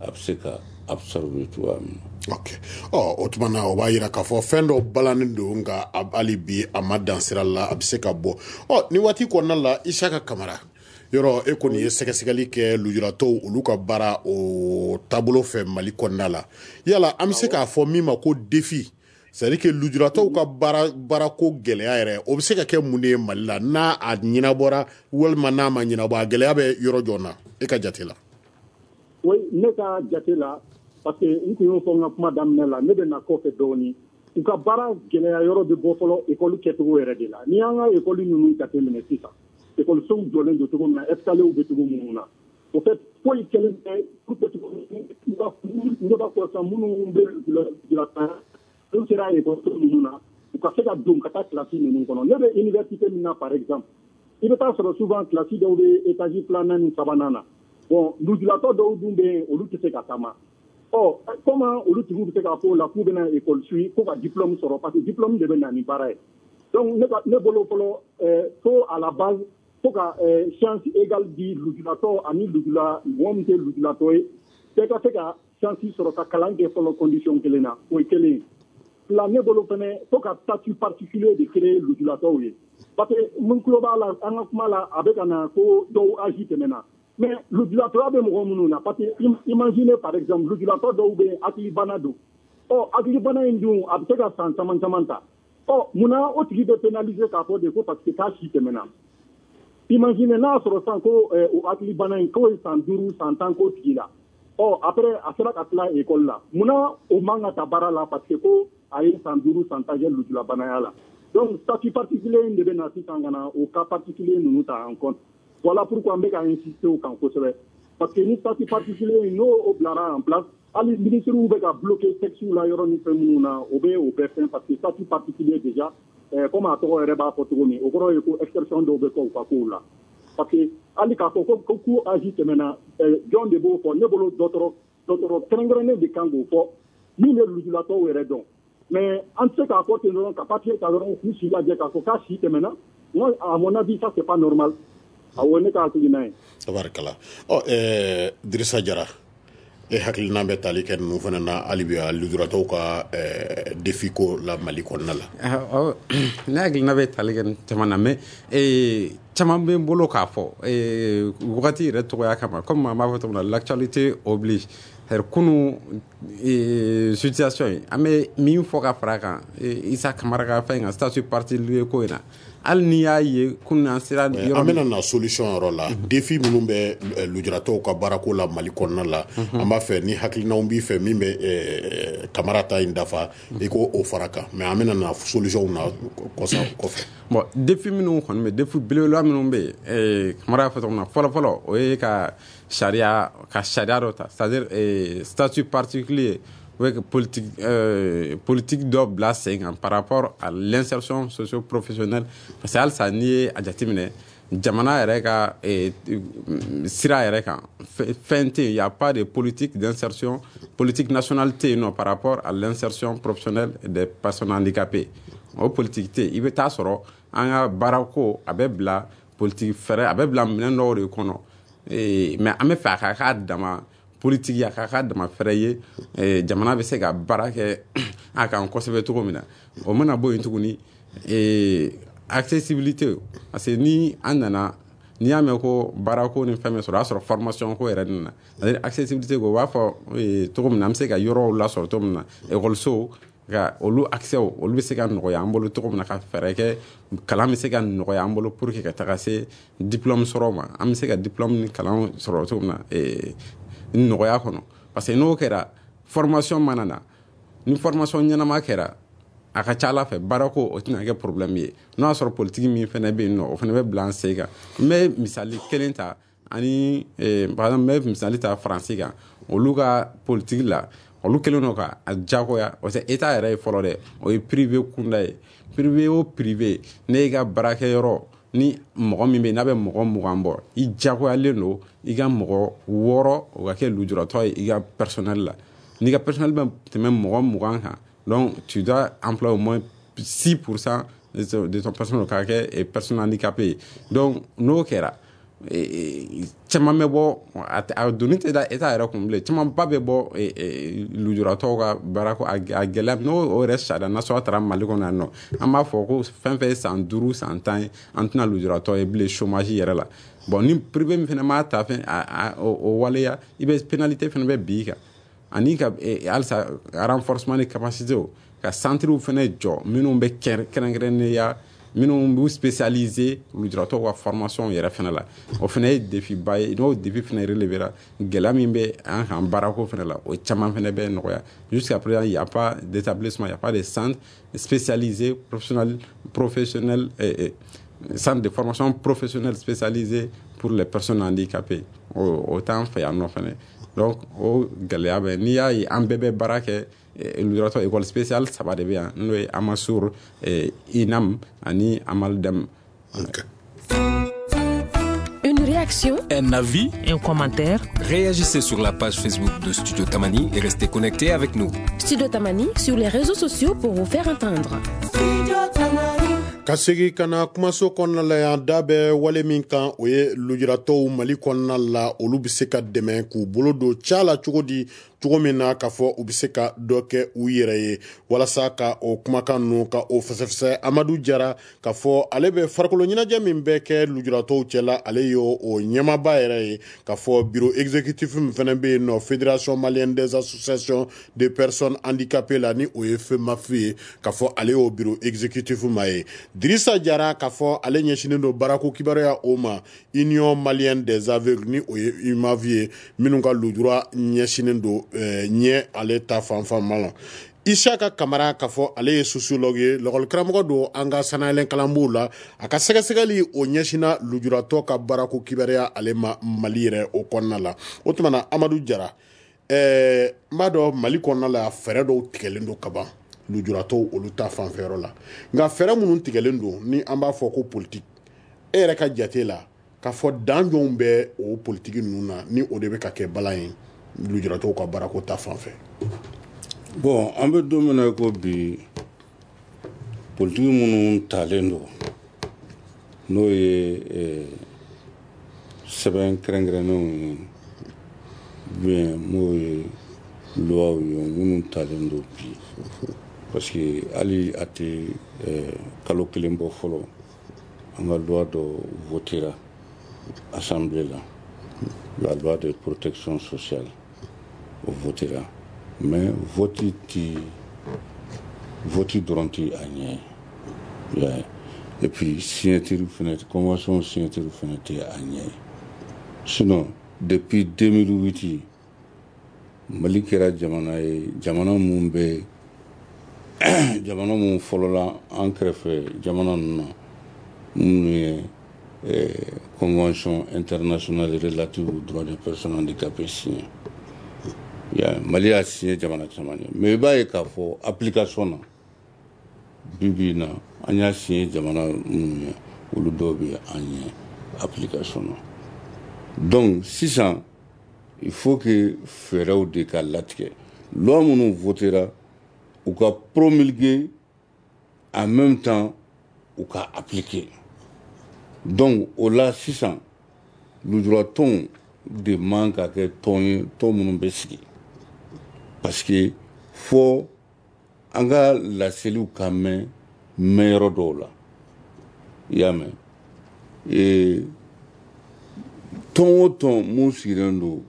a bɛ se ka absorber cogoya min na. Ok, ɔ o tuma na o b'a yira k'a fɔ fɛn dɔ balannen don, nka hali bi a ma dan sira la, a bɛ se ka bɔ. Ɔ ni waati kɔnɔna la, Isaka Kamara, yɔrɔ e kɔni ye sɛgɛsɛgɛli kɛ lujuratɔw olu ka baara o taabolo fɛ Mali kɔnɔna la, yala an bɛ se k'a fɔ min ma ko défi, c'est à dire que lujuratɔw ka baara baarako gɛlɛya yɛrɛ, o bɛ se ka kɛ mun de ye Mali la, n'a a ɲɛnabɔra walima n'a ma ɲɛnabɔ, a gɛlɛya bɛ yɔrɔ jɔn na e ka jate la? Oui, ne ka jate la, parce que n tun y'o fɔ n ka kuma daminɛ la, ne bɛ na kɔfɛ dɔɔnin. U ka baara gɛlɛya yɔrɔ bɛ bɔ fɔlɔ école kɛcogo yɛrɛ de la. N'i y'an ka école ninnu jateminɛ sisan, école-sow jɔlen don cogo min na, escaliers bɛ cogo minnu na, au fait foyi kɛlen tɛ pour que ne b'a fɔ sisan minnu bɛ lujuratɔ n'u sera école ninnu na, u ka se ka don ka taa classe ninnu kɔnɔ. Ne bɛ université min na par exemple, i bɛ taa sɔrɔ souvent classe dɔw bɛ étage filanan ni sabanan na. Bon, lujuratɔ dɔw dun bɛ yen, olu tɛ se ka taama. Ɔ comment olu tigiw bɛ se k'a fɔ o la k'u bɛna école suit ko ka diplôme sɔrɔ, parce que diplôme de bɛ na ni baara ye. Donc ne ka ne bolo fɔlɔ, fo à la base fo ka chance égale di lujuratɔ ani lujula mɔgɔ min tɛ lujuratɔ ye, bɛɛ ka se ka chance sɔrɔ ka kalan kɛ fɔlɔ condition kelen na, o ye kelen ye. Fila, ne bolo fɛnɛ fo ka statut particulier de créer lujuratɔw ye, parce que mun tulo b'a la an ka kuma la, a bɛ ka na ko dɔw âge tɛmɛna, mais lujuratɔya bɛ mɔgɔ minnu na, parce que imaginez par exemple lujuratɔ dɔw bɛ yen, hakilibana don. Ɔ hakilibana in dun a bɛ se ka san caman caman ta. Ɔ munna o tigi bɛ pénaliser k'a fɔ de ko parce que k'a si tɛmɛna? Imaginez n'a sɔrɔ sisan ko o hakilibana in k'o ye san duuru san tan k'o tigi la, ɔ après a sera ka tila école la, munna o man ka ta baara la parce que ko a ye san duuru san tan kɛ lujurabanaya la? Donc statut particulier in de bɛ na sisan ka na o cas particulier ninnu ta en compte. Voilà pourquoi n bɛ ka insister o kan kosɛbɛ, parce que ni statut particulier in n'o o bilara en place, hali ministres bɛ ka bloquer texte la yɔrɔ ni fɛn minnu na, o bɛ o bɛɛ fɛn, parce que statut particulier déjà, comme a tɔgɔ yɛrɛ b'a fɔ cogo min, o kɔrɔ ye ko exception dɔw bɛ kɛ u ka kow la. Parce que hali k'a fɔ ko ko âge tɛmɛna, jɔn de b'o fɔ? Ne bolo dɔgɔtɔrɔ dɔgɔtɔrɔ kɛrɛnkɛrɛnnen de kan k'o fɔ min bɛ lujuratɔw yɛrɛ dɔn. Mais an tɛ se k'a fɔ ten dɔrɔn ka papier ta dɔrɔn k'u si lajɛ k'a fɔ k'a si tɛmɛna. Moi, à mon avis, ça c'est pas normal. Awɔ, ne ka hakilina ye. Tabarikala. Ɔ ɛɛ Dirisa Jara, e hakilina bɛ tali kɛ ninnu fana na hali bi lujuratɔw ka défi ko la Mali kɔnɔna la? Ne hakilina bɛ tali kɛ caman na, mais caman bɛ n bolo k'a fɔ wagati yɛrɛ tɔgɔya kama, comme an b'a fɔ cogo min na, l'actualité oblige. Kunu situation in, an bɛ min fɔ ka fara a kan, Isa Kamara ka fɛn kan, statut particulier ko in na, hali n'i y'a ye kunun an sera yɔrɔ, an bɛna na solution yɔrɔ la. Défi minnu bɛ lujuratɔw ka baarako la Mali kɔnɔna la, an b'a fɛ ni hakilinaw b'i fɛ min bɛ Kamara ta in dafa, i k'o o fara kan, mais an bɛna na solution na kɔsa kɔfɛ. Bon, défi minnu kɔni bɛ, défi belebeleba minnu bɛ yen, Kamara y'a fɔ cogo min na, fɔlɔ fɔlɔ o ye ka sariya ka sariya dɔ ta, c'est à dire statut particulier U bɛ politique euh, politique dɔ bila sen kan par rapport à l'insertion socio-professionnelle, parce que halisa n'i ye a jateminɛ jamana yɛrɛ ka eh, sira yɛrɛ kan, fɛn tɛ yen, y a pas de politique d'insertion, politique nationale tɛ yen nɔ par rapport à l'insertion professionnelle des personnes handicapées. O politique tɛ yen. I bɛ taa sɔrɔ an ka baarako a bɛ bila politique fɛrɛ, a bɛ bila minɛn dɔw de kɔnɔ, mais an bɛ fɛ a ka k'a dama politique, a ka k'a dama fɛrɛ ye, jamana bɛ se ka baara kɛ a kan kosɛbɛ cogo min na. O mana bɔ yen tuguni, accessibilité, parce que ni an nana, n'i y'a mɛn ko baarako ni fɛn bɛ sɔrɔ, o y'a sɔrɔ formation ko yɛrɛ nana, c'est-à-dire accessibilité ko, u b'a fɔ cogo min na, an bɛ se ka yɔrɔw lasɔrɔ cogo min na, ekɔliso ka olu accès, olu bɛ se ka nɔgɔya an bolo cogo min na, ka fɛɛrɛ kɛ kalan bɛ se ka nɔgɔya an bolo pour que ka taga se diplôme sɔrɔ ma, an bɛ se ka diplôme ni kalan sɔrɔ cogo min na nɔgɔya kɔnɔ. Parce que n'o kɛra, formation mana na, ni formation ɲɛnama kɛra, a ka ca ala fɛ baarako o tɛna kɛ problème ye. N'o y'a sɔrɔ politique min fɛnɛ bɛ yen nɔ, o fɛnɛ bɛ bila an sen kan. N bɛ misali kelen ta ani, par exemple, n bɛ misali ta Faransi kan. Olu ka politique la, olu kɛlen don ka a diyagoya, parce que état yɛrɛ ye fɔlɔ dɛ, o ye privé kunda ye. Privé o privé, ne y'i ka baarakɛyɔrɔ ni mɔgɔ min bɛ yen n'a bɛ mɔgɔ mugan bɔ, i diyagoyalen don i ka mɔgɔ wɔɔrɔ o ka kɛ lujuratɔ ye i ka personnel la. N'i ka personnel bɛ tɛmɛ mɔgɔ mugan kan, donc tu dois employer au moins six pour cent de ton personnel k'a kɛ personne handicapé ye. Donc n'o kɛra, caman bɛ bɔ, a doni tɛ da état yɛrɛ kun bilen, camanba bɛ bɔ lujuratɔw ka baarako a gɛlɛya. N'o o yɛrɛ sariya nasɔrɔ taara Mali kɔnɔ yan nɔ, an b'a fɔ ko fɛn fɛn ye san duuru san tan ye, an tɛna lujuratɔ ye bilen chômage yɛrɛ la. Bon, ni privé min fɛnɛ m'a ta fɛn o waleya, i bɛ pénalité fɛnɛ bɛ bin i kan. Ani ka halisa renforcement de capacité, ka centres fɛnɛ jɔ minnu bɛ kɛrɛnkɛrɛnnenya, minnu b'u spécialisé lujuratɔw ka formation yɛrɛ fɛnɛ la, o fɛnɛ ye défi ba ye. N'o défi fɛnɛ relevé la, gɛlɛya min bɛ an kan baarako fɛnɛ la, o caman fɛnɛ bɛ nɔgɔya. Jusqu'à présent, il y a pas d'établissement, il y a pas de centre spécialisé professionnel professionnel eh, eh, centre de formation professionnelle spécialisé pour les personnes handicapées. o o t'an fɛ yan nɔ fɛnɛ. Donc o gɛlɛya bɛ. N'i y'a ye an bɛɛ bɛ baara kɛ lujuratɔ, école spéciale saba de bɛ yan, n'o ye Amasur, INAM ani Amaldem. Okay. Une réaction, un avis, un commentaire. Réagissez sur la page Facebook de Studio Tamani et restez connectés avec nous. Studio Tamani sur les réseaux sociaux pour vous faire entendre. Ka segi ka na kumaso kɔnɔna la yan, da bɛ wale min kan, o ye lujuratɔw Mali kɔnɔna la, olu bɛ se ka dɛmɛ k'u bolo don ca la cogo di, cogo min na k'a fɔ u bɛ se ka dɔ kɛ u yɛrɛ ye. Walasa ka o kumakan ninnu ka o fɛsɛfɛsɛ, Amadu Jara, k'a fɔ ale bɛ farikolo ɲɛnajɛ min bɛ kɛ lujuratɔw cɛla, ale ye o ɲɛmaaba yɛrɛ ye, k'a fɔ bureau exécutif min fana bɛ yen nɔ Fédération malienne des associations de personnes handicapées la, ni o ye FEMAPH ye, k'a fɔ ale y'o bureau exécutif ma ye. Dirisa Jara, k'a fɔ ale ɲɛsinnen don baarako kibaruya o ma Union malienne des aveugles, ni o ye UMAV ye, minnu ka lujura ɲɛsinnen don ɲɛ ale ta fanfan ma la. Isaka Kamara, k'a fɔ ale ye sociologue ye, lɔkɔlikaramɔgɔ don an ka sanayɛlɛn kalanbonw la, a ka sɛgɛsɛgɛli o ɲɛsinna lujuratɔ ka baarako kibaruya ale ma Mali yɛrɛ o kɔnɔna la. O tuma na, Amadu Jara, ɛɛ n b'a dɔn Mali kɔnɔna la, fɛɛrɛ dɔw tigɛlen don kaban lujuratɔw olu ta fanfɛyɔrɔ la, nka fɛɛrɛ minnu tigɛlen don, ni an b'a fɔ ko politique, e yɛrɛ ka jate la, k'a fɔ dan jɔnw bɛ o politique ninnu na, ni o de bɛ ka kɛ balan ye lujuratɔw ka baarako ta fanfɛ? Bon, an bɛ don min na i ko bi, politiki minnu talen don, n'o ye sɛbɛn kɛrɛnkɛrɛnnenw ye, bien n'o ye luwaw ye minnu talen don bi, parce que hali a tɛ kalo kelen bɔ fɔlɔ, an ka loi dɔ votera assemblée la, la loi de protection sociale, o votera. Mais vote ti vote dɔrɔn ti a ɲɛ ye, et puis signature fɛnɛ, convention signature fɛnɛ tɛ a ɲɛ ye. Sinon depuis deux mille huit, Mali kɛra jamana ye, jamana mun bɛ, jamana mun fɔlɔla an kɛrɛfɛ jamana ninnu na, minnu ye convention internationale relative aux droits des personnes handicapées signé. Ya Mali y'a signé jamana caman ye, mais i b'a ye k'a fɔ application na bi bi in na, an y'a signé jamana minnu ye, olu dɔw bɛ an ɲɛ application na. Donc sisan il faut que fɛɛrɛw de ka latigɛ. Loi minnu votera, u ka promulguer, en même temps u ka appliquer. Donc o la sisan lujuratɔnw de man ka kɛ tɔn ye, tɔn minnu bɛ sigi, parce que fɔ an ka laseliw ka mɛn mɛn yɔrɔ dɔw la. I y'a mɛn, ee tɔn o tɔn mun sigilen don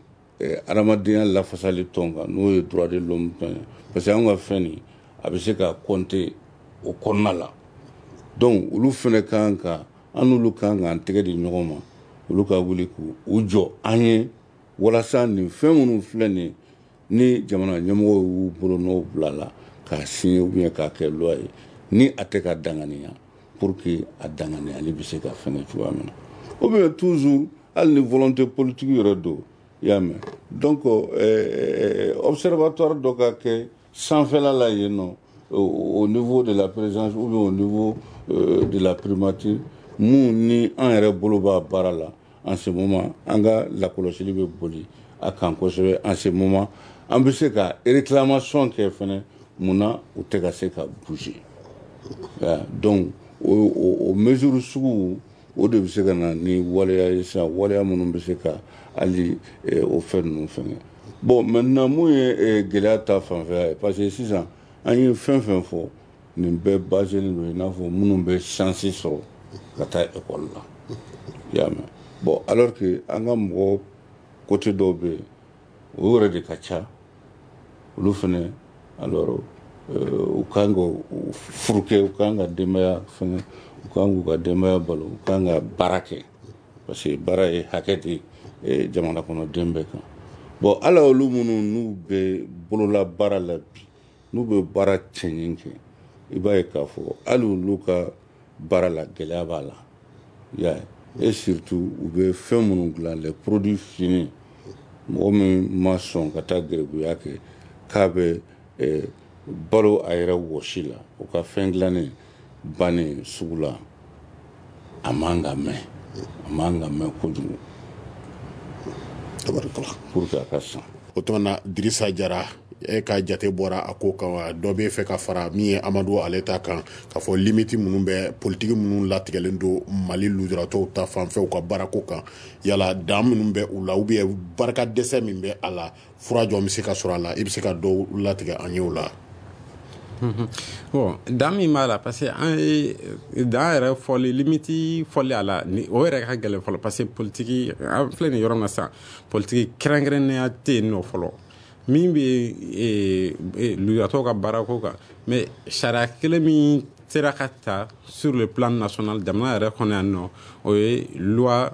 adamadenya lafasali tɔn kan, n'o ye droit de l'homme tɔn ye, parce que an ka fɛn nin a bɛ se ka compter o kɔnɔna la. Donc olu fɛnɛ kan ka, an n'olu kan k'an tɛgɛ di ɲɔgɔn ma, olu ka wuli k'u jɔ an ye walasa nin fɛn minnu filɛ nin ye, ni jamana ɲɛmɔgɔw y'u bolonɔw bila la k'a signer ou bien k'a kɛ loi ye, ni a tɛ ka danganiya, pour que a danganiyali bɛ se ka fɛngɛ cogoya min na, ou bien toujours hali ni volonté politique yɛrɛ don. I y'a mɛn, donc euh, observatoire dɔ ka kɛ sanfɛla la yen nɔ, au niveau de la présidence ou bien au niveau euh, de la primature, mun ni an yɛrɛ bolo b'a baara la en ce moment, an ka lakɔlɔsili bɛ boli a kan kosɛbɛ en ce moment. An bɛ se ka réclamation kɛ fɛnɛ, munna u tɛ ka se ka bouger. Donc o o o mesure sugu o de bɛ se ka na ni waleya ye sisan, waleya minnu bɛ se ka hali o fɛn ninnu fɛngɛ. Bon, maintenant mun ye gɛlɛya ta fanfɛla ye, parce que sisan an ye fɛn fɛn fɔ, nin bɛɛ baselen don i n'a fɔ minnu bɛ chance sɔrɔ ka taa école la. I y'a mɛn, bon, alors que an ka mɔgɔ côté dɔw bɛ yen, o yɛrɛ de ka ca, olu fɛnɛ alors u kan ka furu kɛ, u kan ka denbaya fɛngɛ, u kan k'u ka denbaya balo, u kan ka baara kɛ, parce que baara ye hakɛ de ye jamana kɔnɔden bɛɛ kan. Bon, ala olu minnu n'u bɛ bolola baara la bi, n'u bɛ baara cɛɲi kɛ, i b'a ye k'a fɔ hali olu ka baara la gɛlɛya b'a la. I y'a ye, et surtout u bɛ fɛn minnu dilan, les produits finis, mɔgɔ min ma sɔn ka taa gɛribuya kɛ k'a bɛ balo a yɛrɛ wɔsi la, o ka fɛn dilannen bannen sugu la, a man ka mɛn, a man ka mɛn kojugu pour que a ka san. O tuma na, Dirisa Jara, e ka jate bɔra a ko kan wa? Dɔ bɛ fɛ ka fara min ye Amadu ale ta kan, k'a fɔ limite minnu bɛ politiki minnu latigɛlen don Mali lujuratɔw ta fanfɛ u ka baarako kan, yala dan minnu bɛ u la, ou bien barika dɛsɛ min bɛ a la, fura jɔn bɛ se ka sɔrɔ a la, i bɛ se ka dɔw latigɛ an ye o la? Bon, dan min b'a la, parce que an ye dan yɛrɛ fɔli, limite fɔli a la, ni o yɛrɛ ka gɛlɛn fɔlɔ, parce que politiki an filɛ nin yɔrɔ min na sisan, politiki kɛrɛnkɛrɛnnenya tɛ yen nɔ fɔlɔ min bɛ lujuratɔw ka baarako kan. Mais sariya kelen min sera ka ta sur le plan national, jamana yɛrɛ kɔnɔ yan nɔ, o ye loi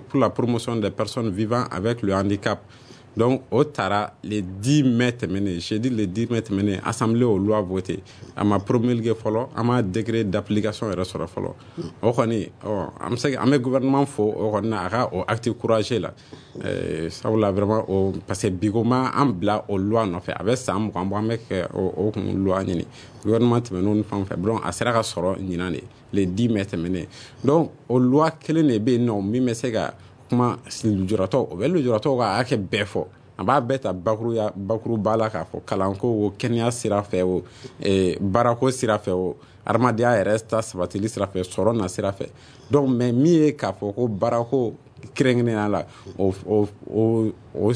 pour la promotion des personnes vivant avec le handicap. Donc o taara le dix mai tɛmɛnen, jeudi le dix mai tɛmɛnen, assemblée o loi voté. A ma promulgué fɔlɔ, an ma décret d'application yɛrɛ sɔrɔ fɔlɔ. O kɔni, ɔ an bɛ se, an bɛ gouvernement fo o kɔni na, a ka o acte courageux la, sabula vraiment o, parce que bi ko ma an bila o loi nɔfɛ, a bɛ san mugan bɔ an bɛ kɛ o o kun loi ɲini gouvernement tɛmɛn'o ni fɛn fɛn. Donc a sera ka sɔrɔ ɲinan de, le dix mai tɛmɛnen. Donc o loi kelen de bɛ yen nɔ min bɛ se ka kuma lujuratɔw, o bɛ lujuratɔw ka hakɛ bɛɛ fɔ, a b'a bɛɛ ta bakuruya bakuruba la, k'a fɔ kalanko o, kɛnɛya sira fɛ o, baarako sira fɛ o, adamadenya yɛrɛ ta sabatili sira fɛ, sɔrɔ na sira fɛ. Donc mais min ye k'a fɔ ko baarako kɛrɛnkɛrɛnnenya la, o o o o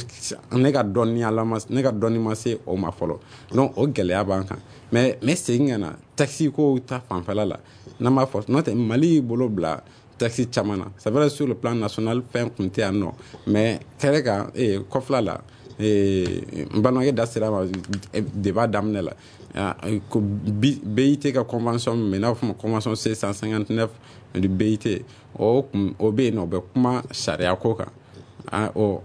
ne ka dɔnniya la, ne ka dɔnni ma se o ma fɔlɔ. Donc o gɛlɛya b'an kan. Mais n bɛ segin ka na taxi ko ta fanfɛla la, n'an b'a fɔ n'o tɛ, Mali y'i bolo bila taxi caman na. C'est vrai, sur le plan national fɛn kun tɛ yan nɔ, mais kɛrɛ kan ee kɔfɛla la, n balimakɛ da sera ma débat daminɛ la, ko B I T ka convention min bɛ n'a bɛ fɔ ma convention C cent cinquante-neuf du B I T, o kun o bɛ yen nɔ, o bɛ kuma sariya ko kan. O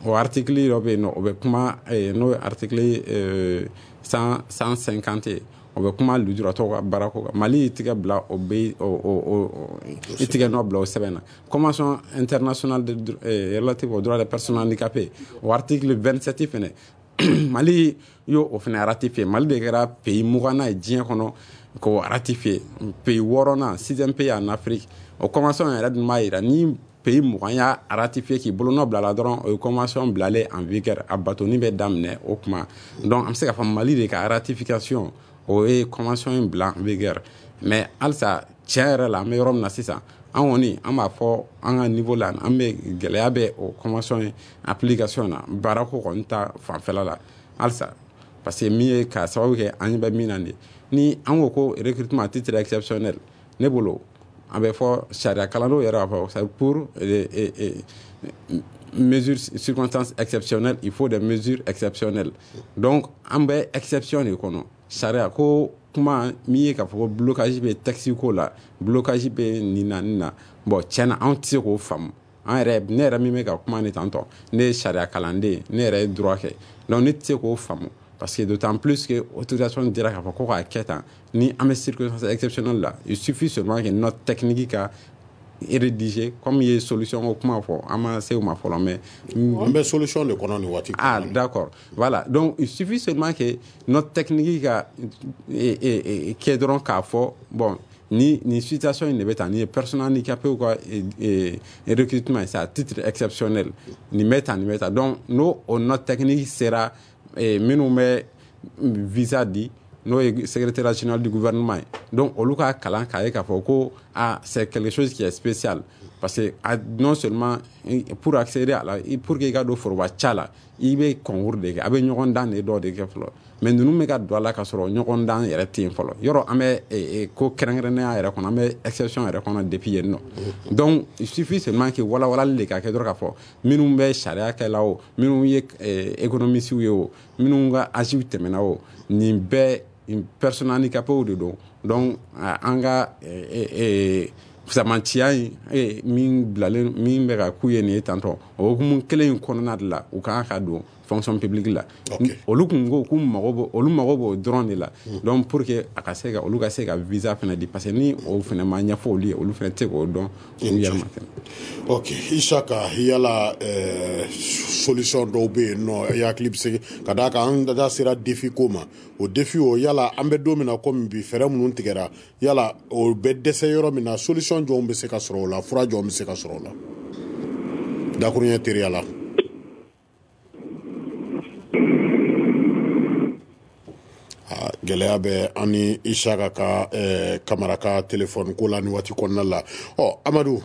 o article dɔ bɛ yen nɔ, o bɛ kuma, n'o ye article cent cent cinquante ye, o bɛ kuma lujuratɔw ka baarako kan. Mali y'i tigɛ bila o bɛ o o o i tigɛ nɔ bila o sɛbɛn na. Convention internationale de relative aux droits des personnes handicapées, o article vingt-sept fɛnɛ. Mali y'o o fana ratifié. Mali de kɛra pays muganna ye diɲɛ kɔnɔ k'o ratifié, pays wɔɔrɔnan, sixième pays en Afrique. O convention yɛrɛ dun b'a yira ni pays mugan y'a ratifié k'i bolonɔ bila la dɔrɔn, o ye convention bilalen en vigueur, a batoni bɛ daminɛ o kuma. Donc an bɛ se k'a fɔ Mali de ka ratification, o ye convention in bila en vigueur. Mais halisa, tiɲɛ yɛrɛ la, an bɛ yɔrɔ min na sisan, an kɔni an b'a fɔ an ka niveau la, an bɛ gɛlɛya bɛ o convention in application na, baarako kɔni ta fanfɛla la halisa, parce que min ye k'a sababu kɛ an ɲɛ bɛ min na nin ye, ni an ko ko recrutement à titre exceptionnel, ne bolo a bɛ fɔ sariya kalandenw yɛrɛ b'a fɔ c'est pour mesures, circonstances exceptionnelles, il faut des mesures exceptionnelles. Donc an bɛ exception de kɔnɔ. Sariya ko kuma min ye k'a fɔ ko blocage bɛ texte ko la, blocage bɛ nin na nin na, bon, tiɲɛna anw tɛ se k'o faamu. An yɛrɛ, ne yɛrɛ min bɛ ka kuma ni tantɔ, ne ye sariya kalanden, ne yɛrɛ ye droit kɛ, donc ne tɛ se k'o faamu, parce que d'autant plus que autorisation dira k'a fɔ ko k'a kɛ tan, ni an bɛ circonstance exceptionnelle la, il suffit seulement que note technique ka rédiger. Comme i ye solution ko kuma fɔ, an ma se o ma fɔlɔ, mais an bɛ solution de kɔnɔ nin waati. Ah d'accord, voilà, donc il suffit seulement que note technique ka kɛ dɔrɔn k'a fɔ bon, ni ni situation in de bɛ tan, ni ye personne handicapée ka recrutement, c'est à titre exceptionnel, nin bɛ tan, nin bɛ tan. Donc n'o o note technique sera minnu bɛ visa di, n'o ye secrétaire général du gouvernement ye, donc olu ka kalan k'a ye k'a fɔ ko ah, c'est quelque chose qui est spécial, parce que non seulement pour accéder à la, pour que i ka don foroba ca la, i bɛ concours de kɛ, a bɛ ɲɔgɔn dan de dɔ de kɛ fɔlɔ. Mais ninnu bɛ ka don a la ka sɔrɔ ɲɔgɔn dan yɛrɛ tɛ yen fɔlɔ. Yɔrɔ an bɛ ko kɛrɛnkɛrɛnnenya yɛrɛ kɔnɔ, an bɛ exception yɛrɛ kɔnɔ depuis yen nɔ. Donc il suffit seulement que walawalali de ka kɛ dɔrɔn k'a fɔ minnu bɛ sariya kɛla o, minnu ye économistes ye o, minnu ka âge tɛmɛna o, nin bɛɛ personne handicapée de don. Donc an ka fisamantiya in min bilalen min bɛ ka k'u ye nin ye tantɔ, o hukumu kelen in kɔnɔna de la, u kan ka don fonction publique la. Olu kun ko k'u mago b'o, olu mago b'o dɔrɔn de la. Donc pour que a ka se ka olu ka se ka visa fana di, parce que ni o fana ma ɲɛfɔ olu ye, olu fana tɛ se k'o dɔn u yɛrɛ ma fɛnɛ. Ok, Isaka, yala ɛɛ solution dɔw bɛ yen nɔ i hakili bɛ se ka d'a kan? An da sera défi ko ma. O défi o, yala an bɛ don min na komi bi, fɛɛrɛ minnu tigɛra, yala o bɛ dɛsɛ yɔrɔ min na, solution jɔnw bɛ se ka sɔrɔ o la, fura jɔnw bɛ se ka sɔrɔ o la, dakuruɲɛ teriya la? Gɛlɛya bɛ an ni Isaka ka Kamara ka telefɔni ko la nin waati kɔnɔna la. Ɔ Amadu,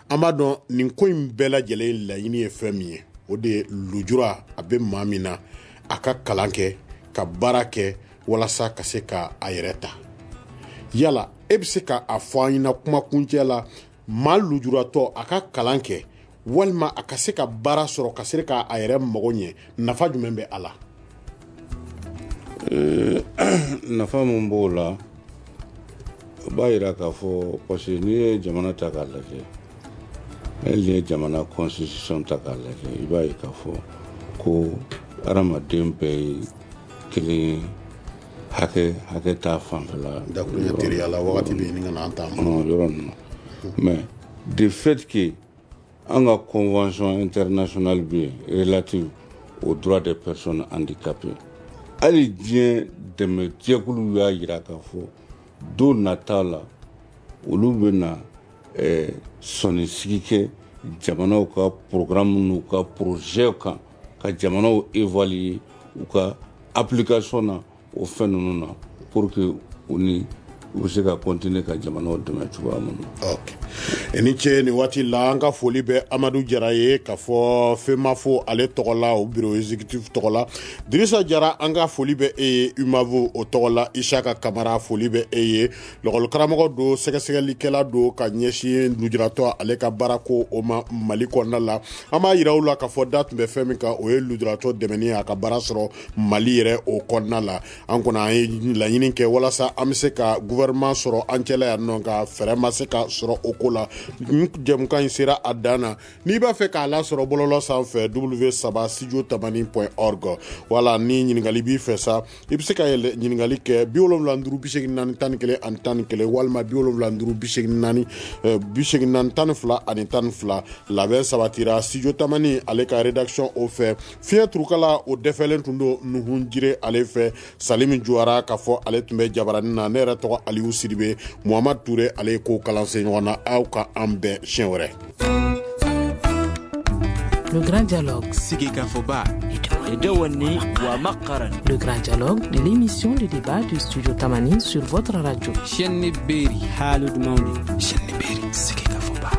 an b'a dɔn nin ko in bɛɛ lajɛlen laɲini ye fɛn min ye, o de ye lujura a bɛ maa min na, a ka kalan kɛ, ka baara kɛ walasa ka se ka a yɛrɛ ta. Yala e bɛ se ka a fɔ an ɲɛna kuma kuncɛ la, maa lujuratɔ a ka kalan kɛ walima a ka se ka baara sɔrɔ ka se k'a yɛrɛ mago ɲɛ, nafa jumɛn bɛ a la? Nafa mun b'o la, o b'a yira k'a fɔ, parce que n'i ye jamana ta k'a lajɛ, hali n'i ye jamana constitution ta k'a lajɛ, i b'a ye k'a fɔ ko hadamaden bɛɛ ye kelen ye, hakɛ hakɛ t'a fanfɛla. Dakuruɲɛ teriya la, wagati bɛ ɲini ka na an ta ma yɔrɔ ninnu. Mais de fait que an ka convention internationale bɛ yen relative aux droits des personnes handicapées, hali diɲɛ dɛmɛjɛkuluw y'a yira k'a fɔ don nata la, olu bɛna sɔnni sigi kɛ jamanaw ka programme n'u ka projet kan, ka jamanaw évaluer u ka application na o fɛn ninnu na, pour que u ni u bɛ se ka continuer ka jamanaw dɛmɛ cogoya min na. Ok, i ni ce nin waati la. An ka foli bɛ Amadu Jara ye k'a fɔ FEMAFO ale tɔgɔ la, o bureau exécutif tɔgɔ la. Dirisa Jara, an ka foli bɛ e ye UMAVO o tɔgɔ la. Isaka Kamara, foli bɛ e ye, lɔgɔlikaramɔgɔ don, sɛgɛsɛgɛlikɛla don ka ɲɛsin lujuratɔ ale ka baarako o ma Mali kɔnɔna la. An b'a yira u la k'a fɔ da tun bɛ fɛn min kan, o ye lujuratɔ dɛmɛni ye a ka baara sɔrɔ Mali yɛrɛ o kɔnɔna la. An kɔni an ye laɲini kɛ walasa an bɛ se ka gouvernement gouvernement sɔrɔ an cɛla yan nɔ, nka fɛɛrɛ ma se ka sɔrɔ o ko la. Jɛmukan in sera a dan na. N'i b'a fɛ k'a lasɔrɔ bɔlɔlɔ sanfɛ, w saba studio tamani point org. Wala ni ɲininkali b'i fɛ sa, i bɛ se ka yɛlɛ ɲininkali kɛ bi wolonwula duuru bi seegin naani tan ni kelen ani tan ni kelen, walima bi wolonwula duuru bi seegin naani bi seegin naani tan ni fila ani tan ni fila. Labɛn sabatira studio tamani ale ka rédaction o fɛ. Fiɲɛ turukala o dɛfɛlen tun don Nuhun Jire ale fɛ. Salimi Juwara k'a fɔ ale tun bɛ jabaranin na. Ne yɛrɛ tɔgɔ Aliou Sidibe. Muhamadu Ture ale ye ko kalansen ɲɔgɔn na. Aw ka an bɛn siɲɛ wɛrɛ. Le grand dialogue. Sigikafɔba. Le grand dialogue, l'émission de débat du studio Tamani sur votre radio. Chaîne Beri. Chaîne Beri. Sigikafɔba.